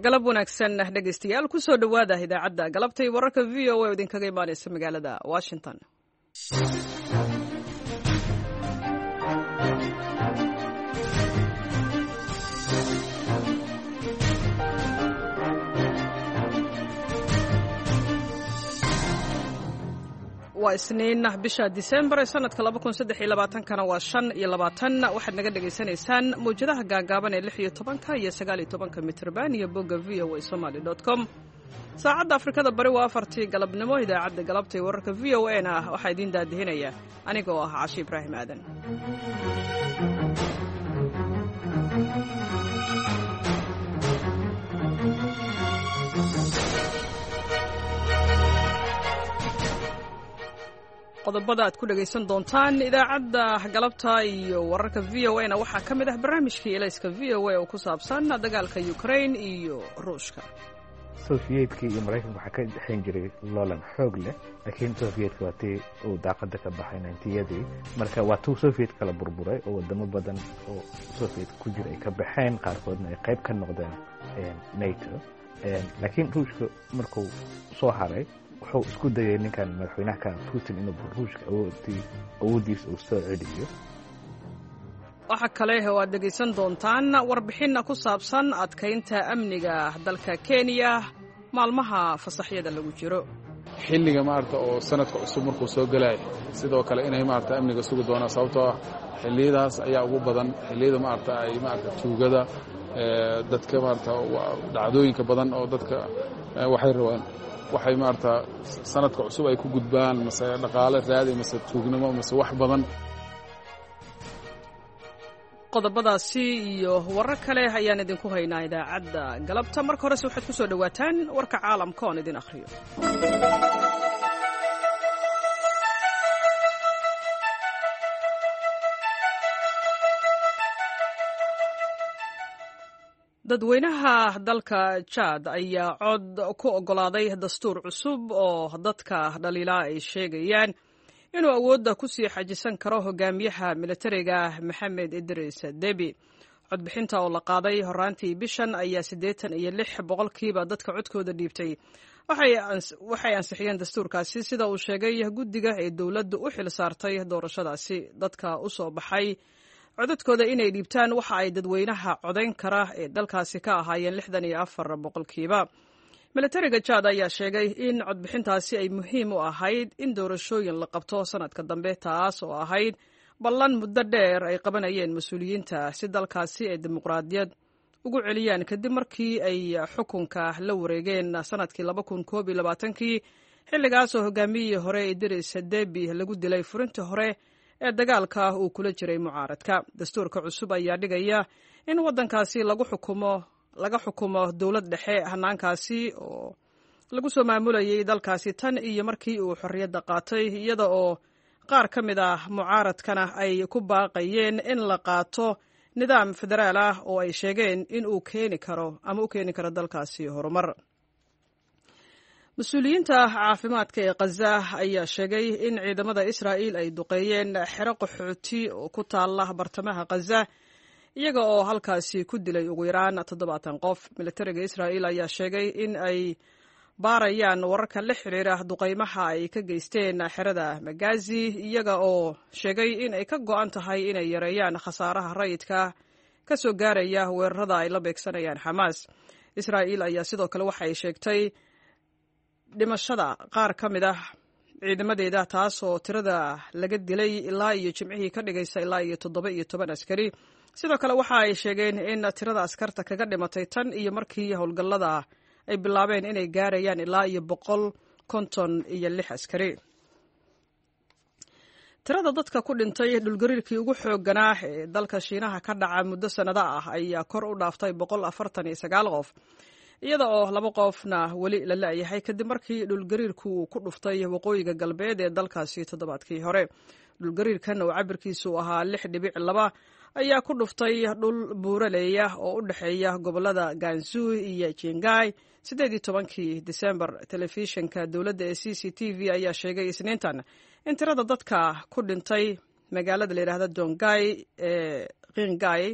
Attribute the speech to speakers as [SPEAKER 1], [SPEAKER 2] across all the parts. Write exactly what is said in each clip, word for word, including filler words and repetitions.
[SPEAKER 1] Galab wanaagsan, dhegaystayaal. Kusoo dhowaada idaacadda galabta iyo wararka V O A oo idinkaga imaanaysa magaalada Washington. Waa Isniin, bisha Disembar ee sanadka laba kun saddex iyo labaatankana waa shan iyo labaatan. Waxaad naga dhagaysanaysaan mawjadaha gaagaaban ee lix iyo tobanka iyo sagaal iyo tobanka mitrban iyo bogga V O A Somali dot com. Saacadda Afrikada Bari waa afartii galabnimo. Idaacadda galabta iyo wararka V O A na waxaa idiin daadihinaya aniga oo ah Cashi Ibraahim Aadan. Qodobada aad ku dhegaysan doontaan idaacadda galabta iyo wararka V O A na waxaa ka mid ah barnaamijkii Elayska V O A oo ku saabsan dagaalka Ukraine iyo Ruushka.
[SPEAKER 2] Sofiyeetka iyo Maraykanka waxaa ka dhexayn jiray loolan xoog leh, laakiin Sofiyeetka waa tii uu daaqada ka baxay ninetiyadii. Marka waa tuu Soviet kala burburay oo wadamo badan oo Soviet ku jira ay ka baxeen, qaarkoodna ay qayb ka noqdeen NATO. Laakiin Ruushka markuu soo haray, wuxuu isku dayay ninkan madaxweynaha ka Putin inuu Ruushka awoodii awooddiisa uu soo celiyo.
[SPEAKER 1] Waxaa kale oo aad dhegaysan doontaan warbixinna ku saabsan adkaynta amniga dalka Kenya maalmaha fasaxyada lagu jiro.
[SPEAKER 3] Xilliga maarata oo sanadka cusub markuu soo gelaya, sidoo kale inay maarata amniga sugi doonaan, sababtoo ah xilliyadaas ayaa ugu badan xilliyada maarata ay maarata tuugada dadka maarata dhacdooyinka badan oo dadka waxay rabaan, waxay maarata sanadka cusub ay ku gudbaan, mase dhaqaale raadi, mase tuugnimo, mase wax badan.
[SPEAKER 1] Qodobadaasi iyo warar kale ayaan idinku haynaa idaacadda galabta. Marka horese waxaad ku soo dhowaataan warka caalamka oon idin akhriyo. Dadweynaha dalka Jaad ayaa cod ku oggolaaday dastuur cusub oo dadka dhaliilaa ay sheegayaan inuu awoodda ku sii xajisan karo hogaamiyaha militariga Maxamed Idris Debi. Codbixinta oo la qaaday horaantii bishan ayaa siddeetan iyo lix boqolkiiba dadka codkooda dhiibtay waxay ansixiyeen dastuurkaasi, sida uu sheegay guddiga ee dowladdu u xil saartay doorashadaasi. Dadka u soo baxay codadkooda inay dhiibtaan waxa ay dadweynaha codayn kara ee dalkaasi ka ahaayeen lixdan iyo afar boqolkiiba. Militariga Jaad ayaa sheegay in codbixintaasi ay muhiim u ahayd in doorashooyin la qabto sanadka dambe, taas oo ahayd ballan muddo dheer ay qabanayeen mas-uuliyiinta si dalkaasi ay dimuqraadiyad ugu celiyaan, kadib markii ay xukunka la wareegeen sanadkii laba kun koob iyo labaatankii, xilligaasoo hogaamiyihii hore Idris Debi lagu dilay furintii hore ee dagaalka uu kula jiray mucaaradka. Dastuurka cusub ayaa dhigaya in waddankaasi lagu xukumo laga xukumo dowlad dhexe, hanaankaasi oo lagu soo maamulayay dalkaasi tan iyo markii uu xorriyadda qaatay, iyada oo qaar ka mid ah mucaaradkana ay ku baaqayeen in la qaato nidaam federaal ah oo ay sheegeen in uu keeni karo ama u keeni karo dalkaasi horumar. Mas-uuliyiinta caafimaadka ee Khaza ayaa sheegay in ciidamada Israa'iil ay duqeeyeen xero qaxooti oo ku taala bartamaha Khaza, iyaga oo halkaasi ku dilay ugu yaraan toddobaatan qof. Militariga Israa'iil ayaa sheegay in ay baarayaan wararka la xiriira duqeymaha ay ka geysteen xerada Magazi, iyaga oo sheegay in ay ka go'an tahay inay yareeyaan khasaaraha rayidka ka soo gaaraya weerarada ay la beegsanayaan Xamaas. Israa'iil ayaa sidoo kale waxay sheegtay dhimashada qaar ka mid ah ciidamadeeda, taasoo tirada laga dilay ilaa iyo Jimcihii ka dhigaysa ilaa iyo toddoba iyo toban askari. Sidoo kale waxa ay sheegeen in tirada askarta kaga dhimatay tan iyo markii howlgallada ay bilaabeen inay gaarayaan ilaa iyo boqol konton iyo lix askari. Tirada dadka ku dhintay dhulgariirkii ugu xoogganaa ee dalka Shiinaha ka dhaca muddo sannado ah ayaa kor u dhaaftay boqol afartan iyo sagaal qof, iyada oo laba qofna weli la la'yahay, kadib markii dhulgariirku uu ku dhuftay waqooyiga galbeed ee dalkaasi toddobaadkii hore. Dhulgariirkan oo cabirkiisu ahaa lix dhibic laba ayaa ku dhuftay dhul buuraleeya oo u dhexeeya gobollada Gansu iyo Jingai siddeed iyo tobankii Disembar. Telefishinka dowladda ee C C T V ayaa sheegay Isniintan in tirada dadka ku dhintay magaalada la yidhaahda Dongai ee Qingai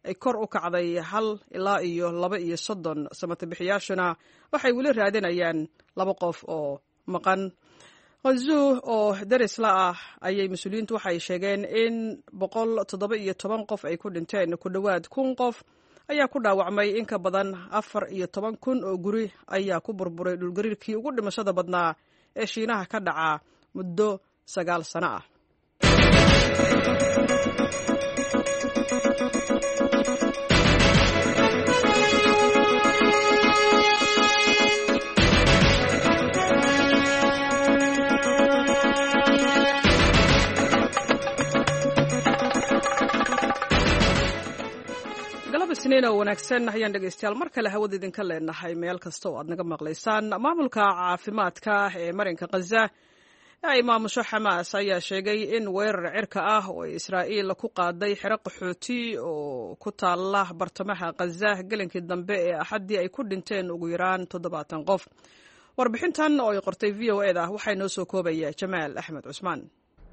[SPEAKER 1] ay kor u kacday hal ilaa iyo laba iyo soddon. Samatabixiyaashuna waxay weli raadinayaan laba qof oo maqan. Khanzuu oo derisla ah ayay mas-uuliyiintu waxay sheegeen in boqol toddoba iyo toban qof ay ku dhinteen, ku dhowaad kun qof ayaa ku dhaawacmay, in ka badan afar iyo toban kun oo guri ayaa ku burburay dhulgariirkii ugu dhimashada badnaa ee Shiinaha ka dhaca muddo sagaal sano ah. Galab Isniin oo wanaagsan ayaan dhegaystayaal mar kale hawada idinka leenahay meel kasta oo aad naga maqlaysaan. Maamulka caafimaadka ee marinka Khaza ee ay maamusho Xamaas ayaa sheegay in weerar cirka ah oo ay Israa'iil ku qaaday xero qaxooti oo ku taala bartamaha Khaza gelinkii dambe ee Axaddii ay ku dhinteen ugu yaraan toddobaatan qof. Warbixintan oo ay qortay V O E da waxaa inoo soo koobaya Jamaal Axmed Cusmaan.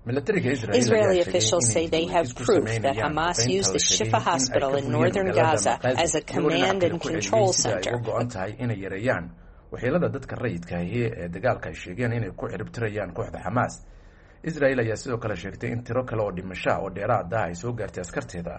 [SPEAKER 4] Israeli officials say they have proof that Hamas used the Shifa Hospital in northern Gaza as a command and control center.
[SPEAKER 5] Uga go'an tahay inay yareeyaan waxyeelada dadka rayidka ahi ee dagaalka ay sheegeen inay ku ciribtirayaan kooxda Xamaas. Israel ayaa sidoo kale sheegtay in tiro kale oo dhimashaa oo dheeraad ah ay soo gaartay askarteeda,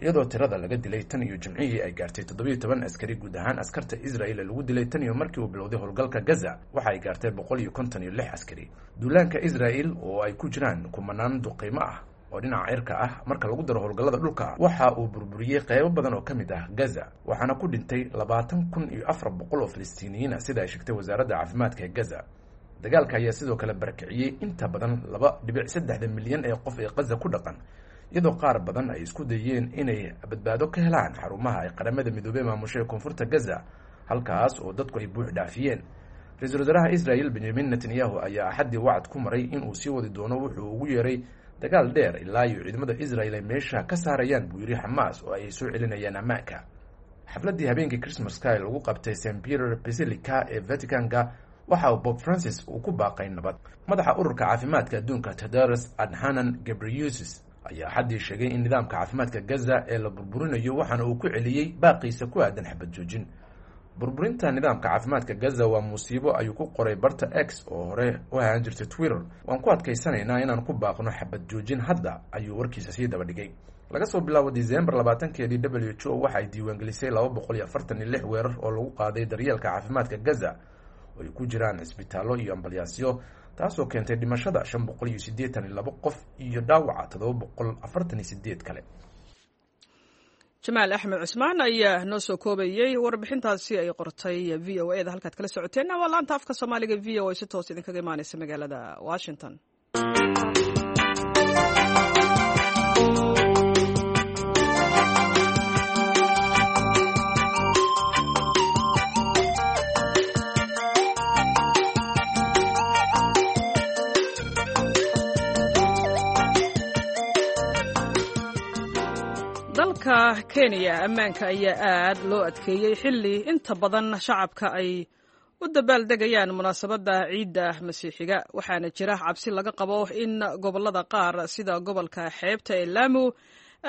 [SPEAKER 5] iyadoo tirada laga dilay tan iyo Jimcihii ay gaartay toddobiyo toban askari. Guud ahaan askarta Israel ee lagu dilay tan iyo markii uu bilowday howlgalka Gaza waxa ay gaartay boqol iyo konton iyo lix askari. Duulaanka Israel oo ay ku jiraan kumanaan duqiimo ah oo dhinaca cirka ah marka lagu daro howlgallada dhulka waxa uu burburiyey qeybo badan oo ka mid ah Gaza, waxaana ku dhintay labaatan kun iyo afar boqol oo Filistiiniyiin ah, sida ay sheegtay wasaaradda caafimaadka ee Gaza. Dagaalka ayaa sidoo kale barakiciyey inta badan laba dhibic saddexda milyan ee qof ee Gaza ku dhaqan, iyadoo qaar badan ay isku dayeen inay badbaado ka helaan xarumaha ay Qaramada Midoobey maamushay koonfurta Gaza, halkaas oo dadku ay buux dhaafiyeen. Ra-iisul wasaaraha Israel Benjamin Netanyahu ayaa Axaddii wacad ku maray inuu sii wadi doono wuxuu ugu yeeray dagaal dheer ilaa iyo ciidamada Israel ay meesha ka saarayaan, buu yidhi, Xamaas oo ay soo celinayaan ammaanka. Xafladdii habeenkii Christmaska ee lagu qabtay Saint Peter Basilica ee Vaticanka waxa uu Bob Francis uu ku baaqay nabad. Madaxa Ururka Caafimaadka Adduunka Tedros Adhanom Ghebreyesus ayaa Axaddii sheegay in nidaamka caafimaadka Gaza ee la burburinayo, waxaana uu ku celiyey baaqiisa ku aadan xabad joojin. "Burburinta nidaamka caafimaadka Gaza waa musiibo," ayuu ku qoray barta X oo hore u ahaan jirtay Twitter. "Waan ku adkaysanaynaa inaan ku baaqno xabad joojin hadda," ayuu warkiisa sii daba dhigay. Laga soo bilaabo Disembar labaatankeedii, W H O waxa ay diiwaangelisay laba boqol iyo afartan iyo lix weerar oo lagu qaaday daryeelka caafimaadka Gaza oo ay ku jiraan cisbitaallo iyo ambalyaasyo, taasoo keentay dhimashada shan boqol iyo siddeetan iyo laba qof iyo dhaawaca toddoba boqol afartan iyo sideed kale.
[SPEAKER 1] Jamaal Axmed Cusmaan ayaa noo soo koobayey warbixintaasi ay qortay V O E da. Halkaad kala socoteenna waa laanta afka Soomaaliga V O A, si toos idinkaga imaaneysa magaalada Washington. Dalka Kenya ammaanka ayaa aad loo adkeeyey xilli inta badan shacabka ay u dabaaldegayaan munaasabadda ciidda Masiixiga, waxaana jira cabsi laga qabo in gobollada qaar sida gobolka xeebta ee Laamu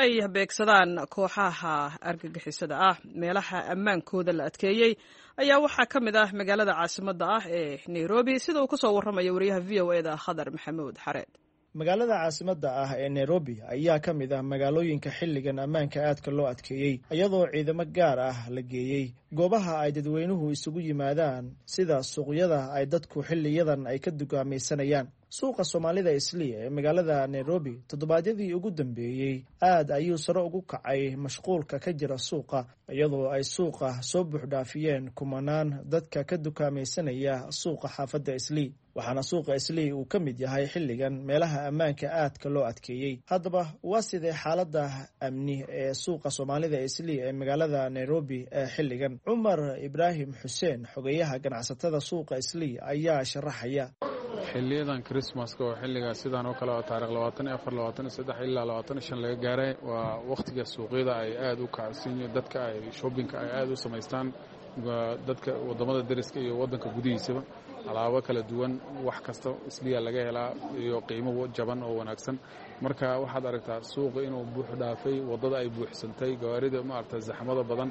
[SPEAKER 1] ay beegsadaan kooxaha argagixisada ah. Meelaha ammaankooda la adkeeyey ayaa waxaa ka mid ah magaalada caasimadda ah ee Nairobi, sida uu ku soo warramayo wariyaha V O E da Khadar Maxamuud Xareed.
[SPEAKER 6] Magaalada caasimadda ah ee Nairobi ayaa ka mid ah magaalooyinka xilligan ammaanka aadka loo adkeeyey, iyadoo ciidamo gaar ah la geeyey goobaha ay dadweynuhu isugu yimaadaan sida suuqyada ay dadku xilliyadan ay ka dugaamaysanayaan. Suuqa Soomaalida Islii ee magaalada Nairobi toddobaadyadii ugu dambeeyey aad ayuu sare ugu kacay mashquulka ka jira suuqa, iyadoo ay suuqa soo buuxdhaafiyeen kumanaan dadka ka dukaamaysanaya suuqa xaafadda Islii, waxaana suuqa Islii uu ka mid yahay xilligan meelaha ammaanka aadka loo adkeeyey. Haddaba waa sidee xaaladda amni ee suuqa Soomaalida Islii ee magaalada Nairobi ee xilligan? Cumar Ibraahim Xuseen, xogeyaha ganacsatada suuqa Islii, ayaa sharaxaya.
[SPEAKER 3] Xiliyadan Christmaska oo xilligaa sidaan oo kale oo taarikh labaatan iyo afar, labaatan iyo saddex ilaa labaatan iyo shan laga gaaray waa wakhtiga suuqyada ay aada u kacsan yihiin, dadka ay shoppingka ay aada u samaystaan. Dadka waddamada deriska iyo waddanka gudihiisaba alaabo kala duwan, wax kasta Isliya laga helaa iyo qiimo jaban oo wanaagsan. Marka waxaad aragtaa suuqa inuu buux dhaafay, waddada ay buuxsantay, gawaarida maarata zaxmada badan.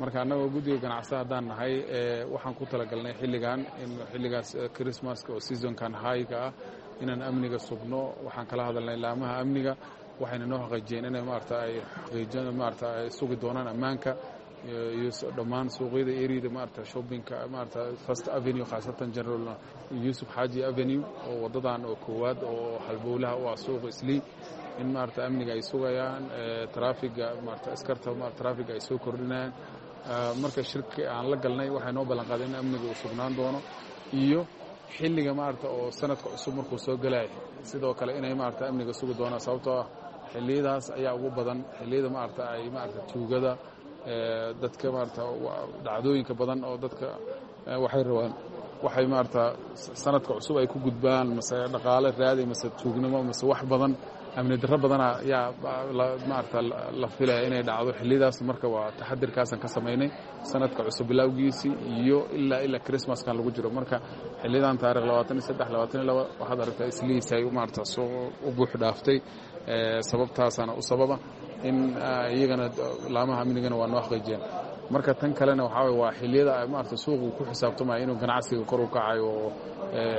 [SPEAKER 3] Marka annagoo guddiga ganacsa haddaan nahay, waxaan ku talagalnay xilligan in xilligaas Christmaska oo seasonkan highga ah inaan amniga sugno. Waxaan kala hadalnay laamaha amniga, waxayna noo xaqiijiyeen inay maarata ay xaqiijin maarata ay sugi doonaan ammaanka iyo dhammaan suuqyada areada maarata shoppingka, maarata First Avenue, khaasatan General Yuusuf Xaaji Avenue oo waddadan oo koowaad oo halbowlaha u ah suuqa Islii, in maarata amniga ay sugayaan, traafiga maarata askarta traafiga ay soo kordhinayaan. Marka shirki aan la galnay, waxay noo ballan qaadeen in amniga uu sugnaan doono iyo xilliga maarata oo sanadka cusub markuu soo galaya sidoo kale inay maarata amniga sugi doonaan, sababtoo ah xilliyadaas ayaa ugu badan xilliyada maarata ay maarata tuugada, dadka maarata dhacdooyinka badan oo dadka waxay rabaan, waxay maarata sanadka cusub ay ku gudbaan, mase dhaqaale raadi, mase tuugnimo, mase wax badan, amni darro badana ayaa maarata la filaya inay dhacdo xilliyadaas. Marka waa taxadirkaasaan ka samaynay sanadka cusub bilowgiisii iyo ilaa ilaa Christmaskan lagu jiro. Marka xiliyadan taarikh labaatan iyo saddex, labaatan iyo laba, waxaad aragtaa Isliisay maarata soo u buux dhaaftay. Sababtaasaana u sababa in iyagana laamaha amnigana waa noo xaqiijiyeen. Marka tan kalena waxaa waye waa xilliyada maarata suuqu ku xisaabtamayo inuu ganacsiga kor u kacayo, oo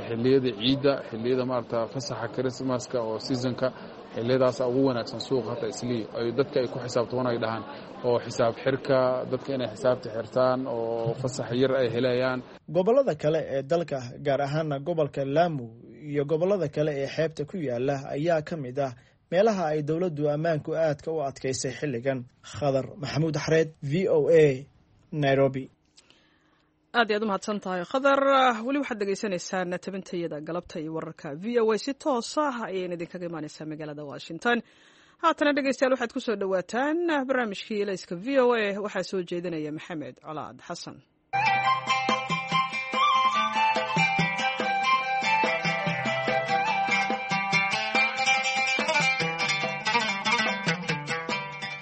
[SPEAKER 3] xilliyada ciidda, xilliyada maarata fasaxa Christmaska oo seasonka, xilliyadaasa ugu wanaagsan suuqa hata Islii ay dadka ay ku xisaabtamaan, ay dhahaan oo xisaab xirka dadka inay xisaabta xirtaan oo fasax yar ay helayaan.
[SPEAKER 6] Gobollada kale ee dalka, gaar ahaana gobolka Laamu iyo gobollada kale ee xeebta ku yaala, ayaa ka mid ah meelaha ay dowladdu ammaanku aadka u adkaysay xilligan. Khadar Maxamuud Xareed, V O A, Nairobi.
[SPEAKER 1] Aad iyaad u mahadsan tahay, Khadar. Weli waxaad dhegeysanaysaan tabintayada galabta iyo wararka V O A. Si toos ah ayayna idinkaga imaaneysaa magaalada Washington. Haatana dhegeystayaal, waxaad ku soo dhowaataan barnaamijkii Ilayska V O A. Waxaa soo jeedinaya Maxamed Colaad Xasan.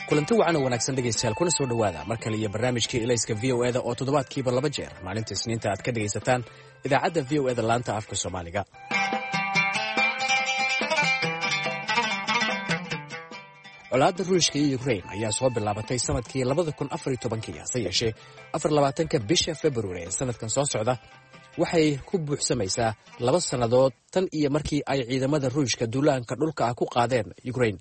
[SPEAKER 7] Kulanti wacan oo wanaagsan dhegaystayaal, kuna soo dhowaada mar kale iyo barnaamijkii Ilayska V O eda oo toddobaadkiiba laba jeer maalinta Isniinta aad ka dhegaysataan idaacadda V O eda laanta afka Soomaaliga. Colaadda Ruushka iyo Ukrain ayaa soo bilaabatay sanadkii labada kun afar iyo tobankii, hase yeeshee afar labaatanka bisha Februari ee sanadkan soo socda waxay ku buuxsamaysaa laba sannadood tan iyo markii ay ciidamada Ruushka duulaanka dhulka ah ku qaadeen Ukrain.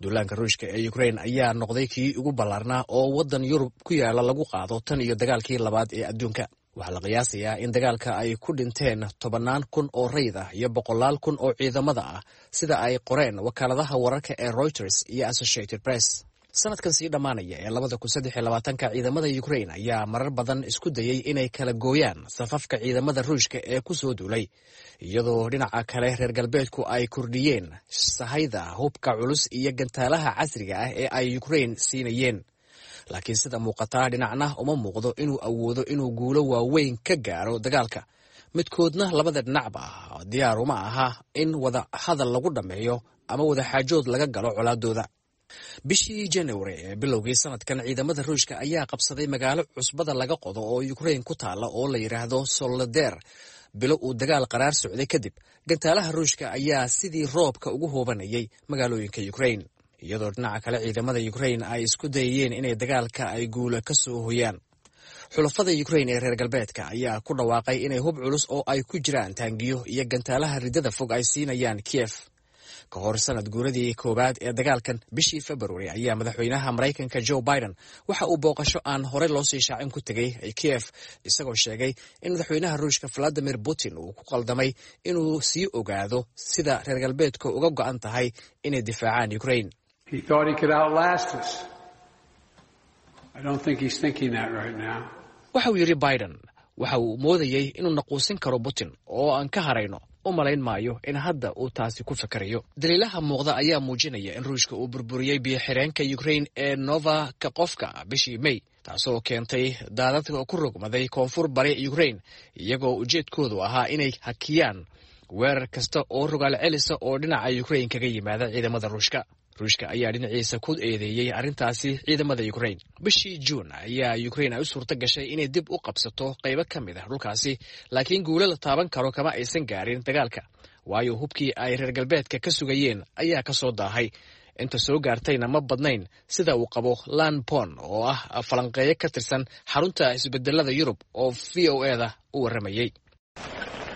[SPEAKER 7] Duulaanka Ruushka ee Ukrain ayaa noqday kii ugu ballaarnaa oo waddan Yurub ku yaala lagu qaado tan iyo dagaalkii labaad ee adduunka. Waxaa la qiyaasayaa in dagaalka ay ku dhinteen tobannaan kun oo rayid ah iyo boqolaal kun oo ciidamada ah, sida ay qoreen wakaaladaha wararka ee Reuters iyo Associated Press. Sanadkan sii dhammaanaya ee labada kun saddex iyo labaatanka, ciidamada Ukrain ayaa marar badan isku dayey inay kala gooyaan safafka ciidamada Ruushka ee ku soo duulay, iyadoo dhinaca kale reer galbeedku ay kordhiyeen sahayda hubka culus iyo gantaalaha casriga ah ee ay Ukrain siinayeen. Laakiin sida muuqataa, dhinacna uma muuqdo inuu awoodo inuu guulo waaweyn ka gaaro dagaalka. Midkoodna, labada dhinacba, diyaar uma aha in wada hadal lagu dhammeeyo ama wadaxaajood laga galo colaadooda. Bishii January ee bilowgii sanadkan, ciidamada Ruushka ayaa qabsaday magaalo cusbada laga qodo oo Ukrain ku taala oo la yidhaahdo Soloder. Bilo uu dagaal qaraar socday kadib, gantaalaha Ruushka ayaa sidii roobka ugu hoobanayay magaalooyinka Ukrain, iyadoo dhinaca kale ciidamada Ukrain ay isku dayayeen inay dagaalka ay guula ka soo hoyaan. Xulafada Ukrain ee reer galbeedka ayaa ku dhawaaqay inay hub culus oo ay ku jiraan taangiyo iyo gantaalaha riddada fog ay siinayaan Kiev. Ka hor sanad guuradii koowaad ee dagaalkan bishii February ayaa madaxweynaha Maraykanka Joe Biden waxa uu booqasho aan horey loo sii shaacin ku tegey Kiev, isagoo sheegay in madaxweynaha Ruushka Valadimir Putin uu ku qaldamay inuu sii ogaado sida reer galbeedka uga go'an tahay inay difaacaan Ukrain.
[SPEAKER 8] He thought he could outlast us. I don't think he's thinking that right now.
[SPEAKER 7] Waxa uu yidhi Biden, waxa uu moodayey inuu naquusin karo Putin oo aan ka harayno. U malayn maayo in hadda uu taasi ku fakerayo. Daliilaha muuqda ayaa muujinaya in Ruushka uu burburiyey biyo-xireenka Ukrain ee Nova Kakhovka bishii May, taasoo keentay daadadka ku rogmaday koonfur bari Ukrain, iyagoo ujeedkoodu ahaa inay hakiyaan weerar kasta oo rogaal celisa oo dhinaca Ukrain kaga yimaada ciidamada Ruushka. Ruushka ayaa dhinaciisa ku eedeeyey arrintaasi ciidamada Ukrain. Bishii Juun ayaa Ukrain ay u suurto gashay inay dib u qabsato qaybo ka mid ah dhulkaasi, laakiin guulo la taaban karo kama aysan gaarin dagaalka, waayo hubkii ay reer galbeedka ka sugayeen ayaa ka soo daahay. Inta soo gaartayna ma badnayn, sida uu qabo Lanpon oo ah falanqeeyo ka tirsan xarunta isbedelada Yurub oo V O E da u warramayey.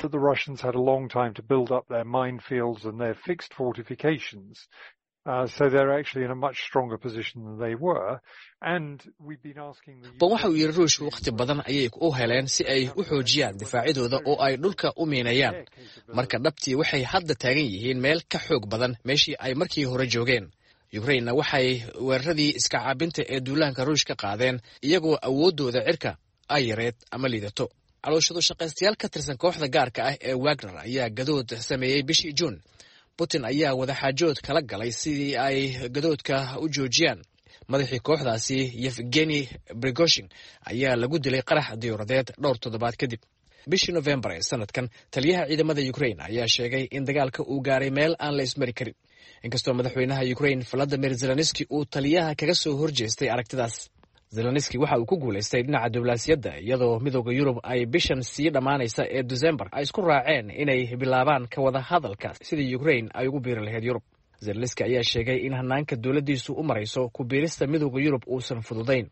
[SPEAKER 9] The Russians had a long time to build up their minefields and their fixed fortifications. Uh, so they're actually in a much stronger position than they were. And we've been asking the
[SPEAKER 7] Ban waxa uu yidhi, Ruushku wakhti badan ayay u heleen si ay u xoojiyaan difaacyadooda oo ay dhulka u miinayaan. Marka dhabtii waxay hadda taagan yihiin meel ka xoog badan meeshii ay markii hore joogeen. Ukrainna waxay weeraradii iska caabinta ee duulaanka Ruush ka qaadeen iyagoo awooddooda cirka ay yareed ama liidato. Calooshadu shaqaystayaal ka tirsan kooxda gaarka ah ee Wagner ayaa gadood sameeyey bishii Juun. Putin ayaa wadaxaajood kala galay sidii ay gadoodka u joojiyaan. Madaxii kooxdaasi Yevgeni Prigozhin ayaa lagu dilay qarax diyuuradeed dhowr toddobaad kadib. Bishii Nofembar ee sanadkan, taliyaha ciidamada Ukrain ayaa sheegay in dagaalka uu gaaray meel aan la ismari karin, inkastoo madaxweynaha Ukrain Valadimir Zelenski uu taliyaha kaga soo horjeestay aragtidaas. Zelenski waxa uu ku guulaystay dhinaca diblaasiyadda, iyadoo Midooda Yurub ay bishan sii dhammaanaysa ee December ay isku raaceen inay bilaabaan ka wada hadalka sidii Ukrain ay ugu biiri lahayd Yurub. Zelenski ayaa sheegay in hanaanka dowladdiisu u marayso ku biirista Midooda Yurub uusan fududayn.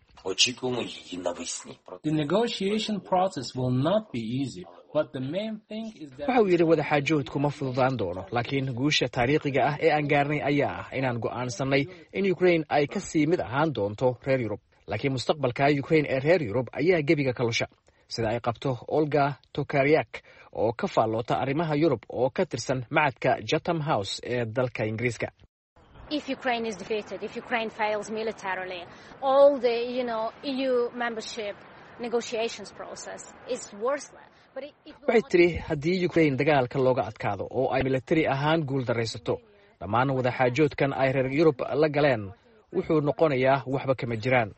[SPEAKER 10] The negotiation process will not be easy, but the main thing is that
[SPEAKER 7] Waxa uu yidhi, wadaxaajoodku ma fududaan doono, laakiin guusha taariikhiga ah ee aan gaarnay ayaa ah inaan go'aansanay in Ukrain ay ka sii mid ahaan doonto reer Yurub. Laakiin mustaqbalka Ukrain ee reer Yurub ayaa gebiga ka lusha, sida ay qabto Olga Tokaryak oo ka faalloota arrimaha Yurub oo ka tirsan macadka Chatham House ee dalka Ingiriiska.
[SPEAKER 11] If Ukraine is defeated, if Ukraine fails militarily, all the you know E U membership negotiations process is worthless. But it, it will
[SPEAKER 7] Waxay
[SPEAKER 11] not
[SPEAKER 7] tiri, haddii Ukrain dagaalka looga adkaado oo ay militari ahaan guul daraysato, dhammaan wadaxaajoodkan ay reer Yurub la galeen wuxuu noqonayaa waxba kama jiraan.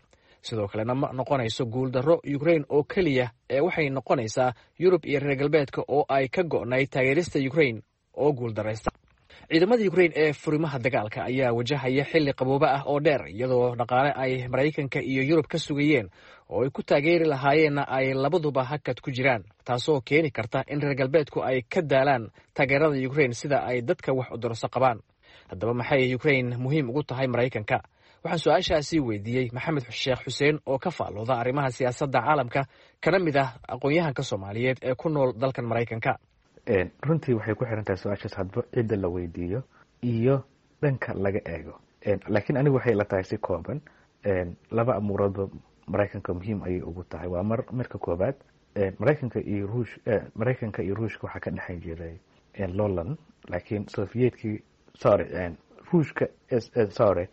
[SPEAKER 7] Sidoo kalena ma noqonayso guuldarro Ukrain oo keliya ee waxay noqonaysaa Yurub iyo reer galbeedka oo ay ka go'nayd taageerista Ukrain oo guuldaraysta. Ciidamada Ukrain ee furimaha dagaalka ayaa wajahaya xilli qaboobo ah oo dheer, iyadoo dhaqaale ay Maraykanka iyo Yurub ka sugayeen oo ay ku taageeri lahaayeenna ay labaduba hakad ku jiraan, taasoo keeni karta in reer galbeedku ay ka daalaan taageerada Ukrain, sida ay dadka wax udurso qabaan. Haddaba maxay Ukrain muhiim ugu tahay Maraykanka? Waxaan su-aashaasi weydiiyey Maxamed Sheekh Xuseen oo ka faallooda arrimaha siyaasadda caalamka, kana mid ah aqoon-yahanka Soomaaliyeed ee ku nool dalkan Maraykanka.
[SPEAKER 2] Runtii waxay ku xiran tahay su-aashaas hadba cidda la weydiiyo iyo dhanka laga eego, laakiin anigu waxay ila tahay si kooban laba amuuroodba Maraykanka muhiim ayay ugu tahay. Waa mar marka koobaad, Maraykanka iyo Ruush Maraykanka iyo Ruushka waxaa ka dhexan jiray loolan, laakiin Sovietkii, sorry, Ruushka, sorry,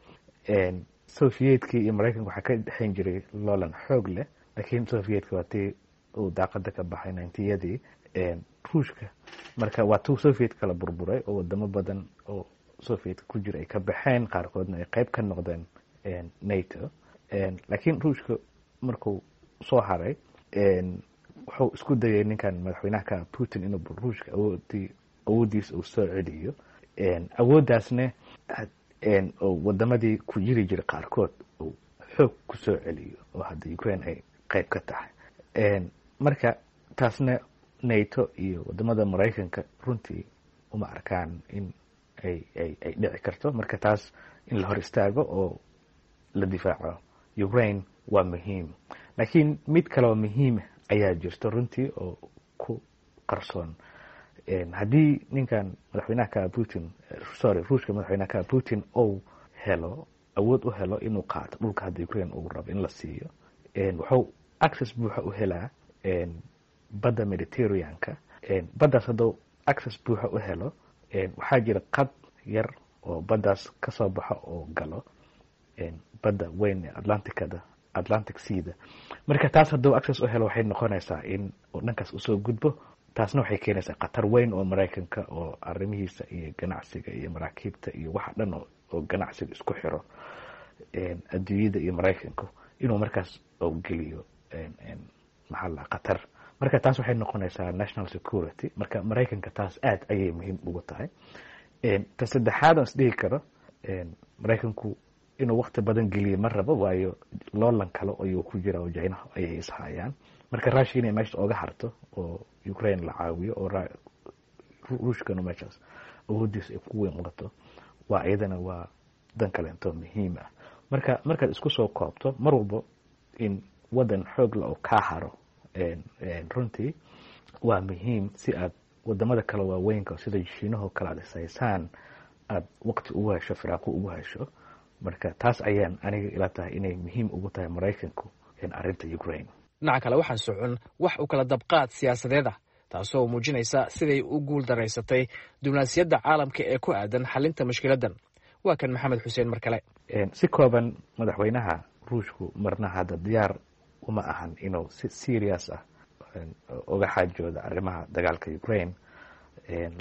[SPEAKER 2] Sovietkii iyo Maraykanka waxaa ka dhexan jiray loolan xoog leh, laakiin Sovietka waa tii uu daaqada ka baxay ninetiyadii. Ruushka marka waa tuu Soviet kala burburay oo wadamo badan oo Soviet ku jira ay ka baxeen, qaarkoodna ay qeyb ka noqdeen NATO. Laakiin Ruushka markuu soo haray, wuxuu isku dayay ninkan madaxweynaha ka Putin inuu Ruushka awoodii awooddiisa uu soo celiyo, awooddaasna oo wadamadii ku jiri jiray qaarkood uu xoog ku soo celiyo, oo hadda Ukraine ay qeyb ka tahay. Marka taasna NATO iyo wadamada Maraykanka runtii uma arkaan in ay ay ay dhici karto. Marka taas in la hor istaago oo la difaaco Ukraine waa muhiim. Laakiin mid kaloo muhiima ayaa jirto runtii oo ku qarsoon. Haddii ninkan madaxweynaha ka Putin, sorry, Ruushka madaxweynaha ka Putin ou helo awood u helo inuu qaato dhulka hadda Ukraine uu rabo in la siiyo, wuxuu access buuxa u helaa badda Mediterraneanka. Baddaas hadduu access buuxa u helo, waxaa jira qad yar oo baddaas ka soo baxo oo galo badda weyn ee Atlanticada, Atlantic Seada. Marka taas hadduu access u helo, waxay noqonaysaa in uu dhankaas usoo gudbo. Taasna waxay keenaysaa khatar weyn oo Maraykanka oo arrimihiisa iyo ganacsiga iyo maraakiibta iyo waxa dhan oo ganacsiga isku xiro adduunyada iyo Maraykanku inuu markaas oo geliyo, maxaa la, khatar. Marka taas waxay noqonaysaa national security. Marka Maraykanka taas aad ayay muhiim ugu tahay. Ta saddexaad aan isdhihi karo Maraykanku inuu wakti badan geliyo ma rabo, waayo loolan kale ayuu ku jira oo Jinaha ayay ishayaan. Marka Russia inay meesha oga harto oo Ukraine la caawiyo oo Ruushkanu meeshaas awoodiisa ay ku weyn qato, waa iyadana waa dan kaleento muhiim ah. Marka markaad isku soo koobto, mar walbo in wadan xoog la oo kaa haro runtii waa muhiim, si aad wadamada kale waaweynka sida Shiinahoo kale aad ishaysaan aad waqti ugu hesho, firaaqo ugu hesho. Marka taas ayaan aniga ila tahay inay muhiim ugu tahay Maraykanku arrinta Ukraine.
[SPEAKER 7] Dhinaca kale, waxaan socon wax u kala dabqaad siyaasadeed ah, taasoo muujinaysa siday u guul daraysatay diblomaasiyadda caalamka ee ku aadan xalinta mushkiladdan. Waa kan Maxamed Xuseen mar kale.
[SPEAKER 2] Si kooban, madaxweynaha Ruushku marna hadda diyaar uma ahan inuu si serious ah uga xaajooda arrimaha dagaalka Ukraine.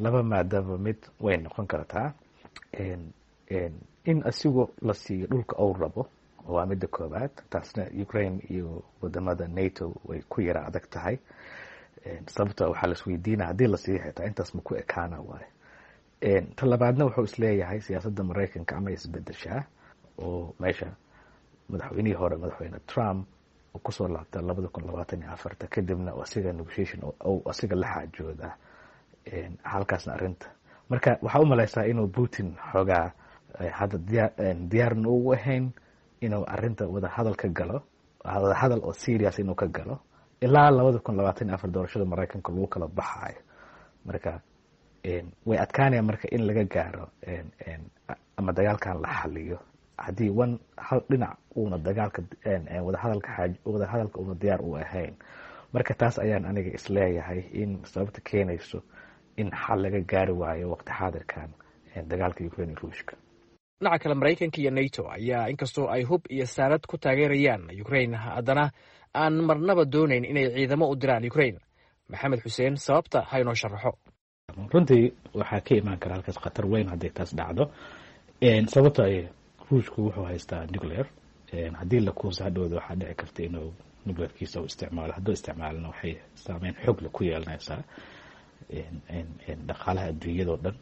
[SPEAKER 2] Laba maadaba mid way noqon kartaa: in asigo la siiyo dhulka uu rabo, waa midda koobaad. Taasna Ukraine iyo wadamada NATO way ku yara adag tahay, sababto waxaa laisweydiina haddii la siiyo xitaa intaas ma ku ekaana waayo. Ta labaadna, wuxuu isleeyahay siyaasadda Maraykanka ama isbedeshaa oo meesha madaxweynihii hore, Madaxweyne Trump, uu kusoo laabta labada kun labaatan iyo afarta, kadibna asiga negotiation asiga la xaajooda halkaasna arrinta. Marka waxaa u malaysaa inuu Putin xoogaa hadda diyaar diyaarna ugu ahayn inuu arrinta wadahadal ka galo, wadahadal oo serious inuu ka galo ilaa labada kun labaatan iyo afar doorashada Maraykanka lagu kala baxaayo. Marka way adkaanaya marka in laga gaaro ama dagaalkan la xaliyo haddii one hal dhinac uuna dagaalka wadahadalka xaaj wadahadalka uuna diyaar u ahayn. Marka taas ayaan aniga isleeyahay in sababta keenayso in xal laga gaari waayo waqti xaadirkan dagaalka Ukraine iyo Ruushka.
[SPEAKER 7] Dhinaca kale, Maraykanka iyo NATO ayaa inkastoo ay hub iyo saanad ku taageerayaan Ukraine, haddana aan marnaba doonayn inay ciidamo u diraan Ukraine. Maxamed Xuseen sababta ha inoo sharaxo.
[SPEAKER 2] Runtii waxaa ka imaan kara halkaas khatar weyn hadday taas dhacdo, sababto ay Ruushku wuxuu haystaa nuclear. Haddii la kuusa hadhowda, waxaa dhici karta inuu nuclearkiisa u isticmaalo. Hadduu isticmaalona, waxay saameyn xoog leh ku yeelanaysaa dhaqaalaha adduunyada oo dhan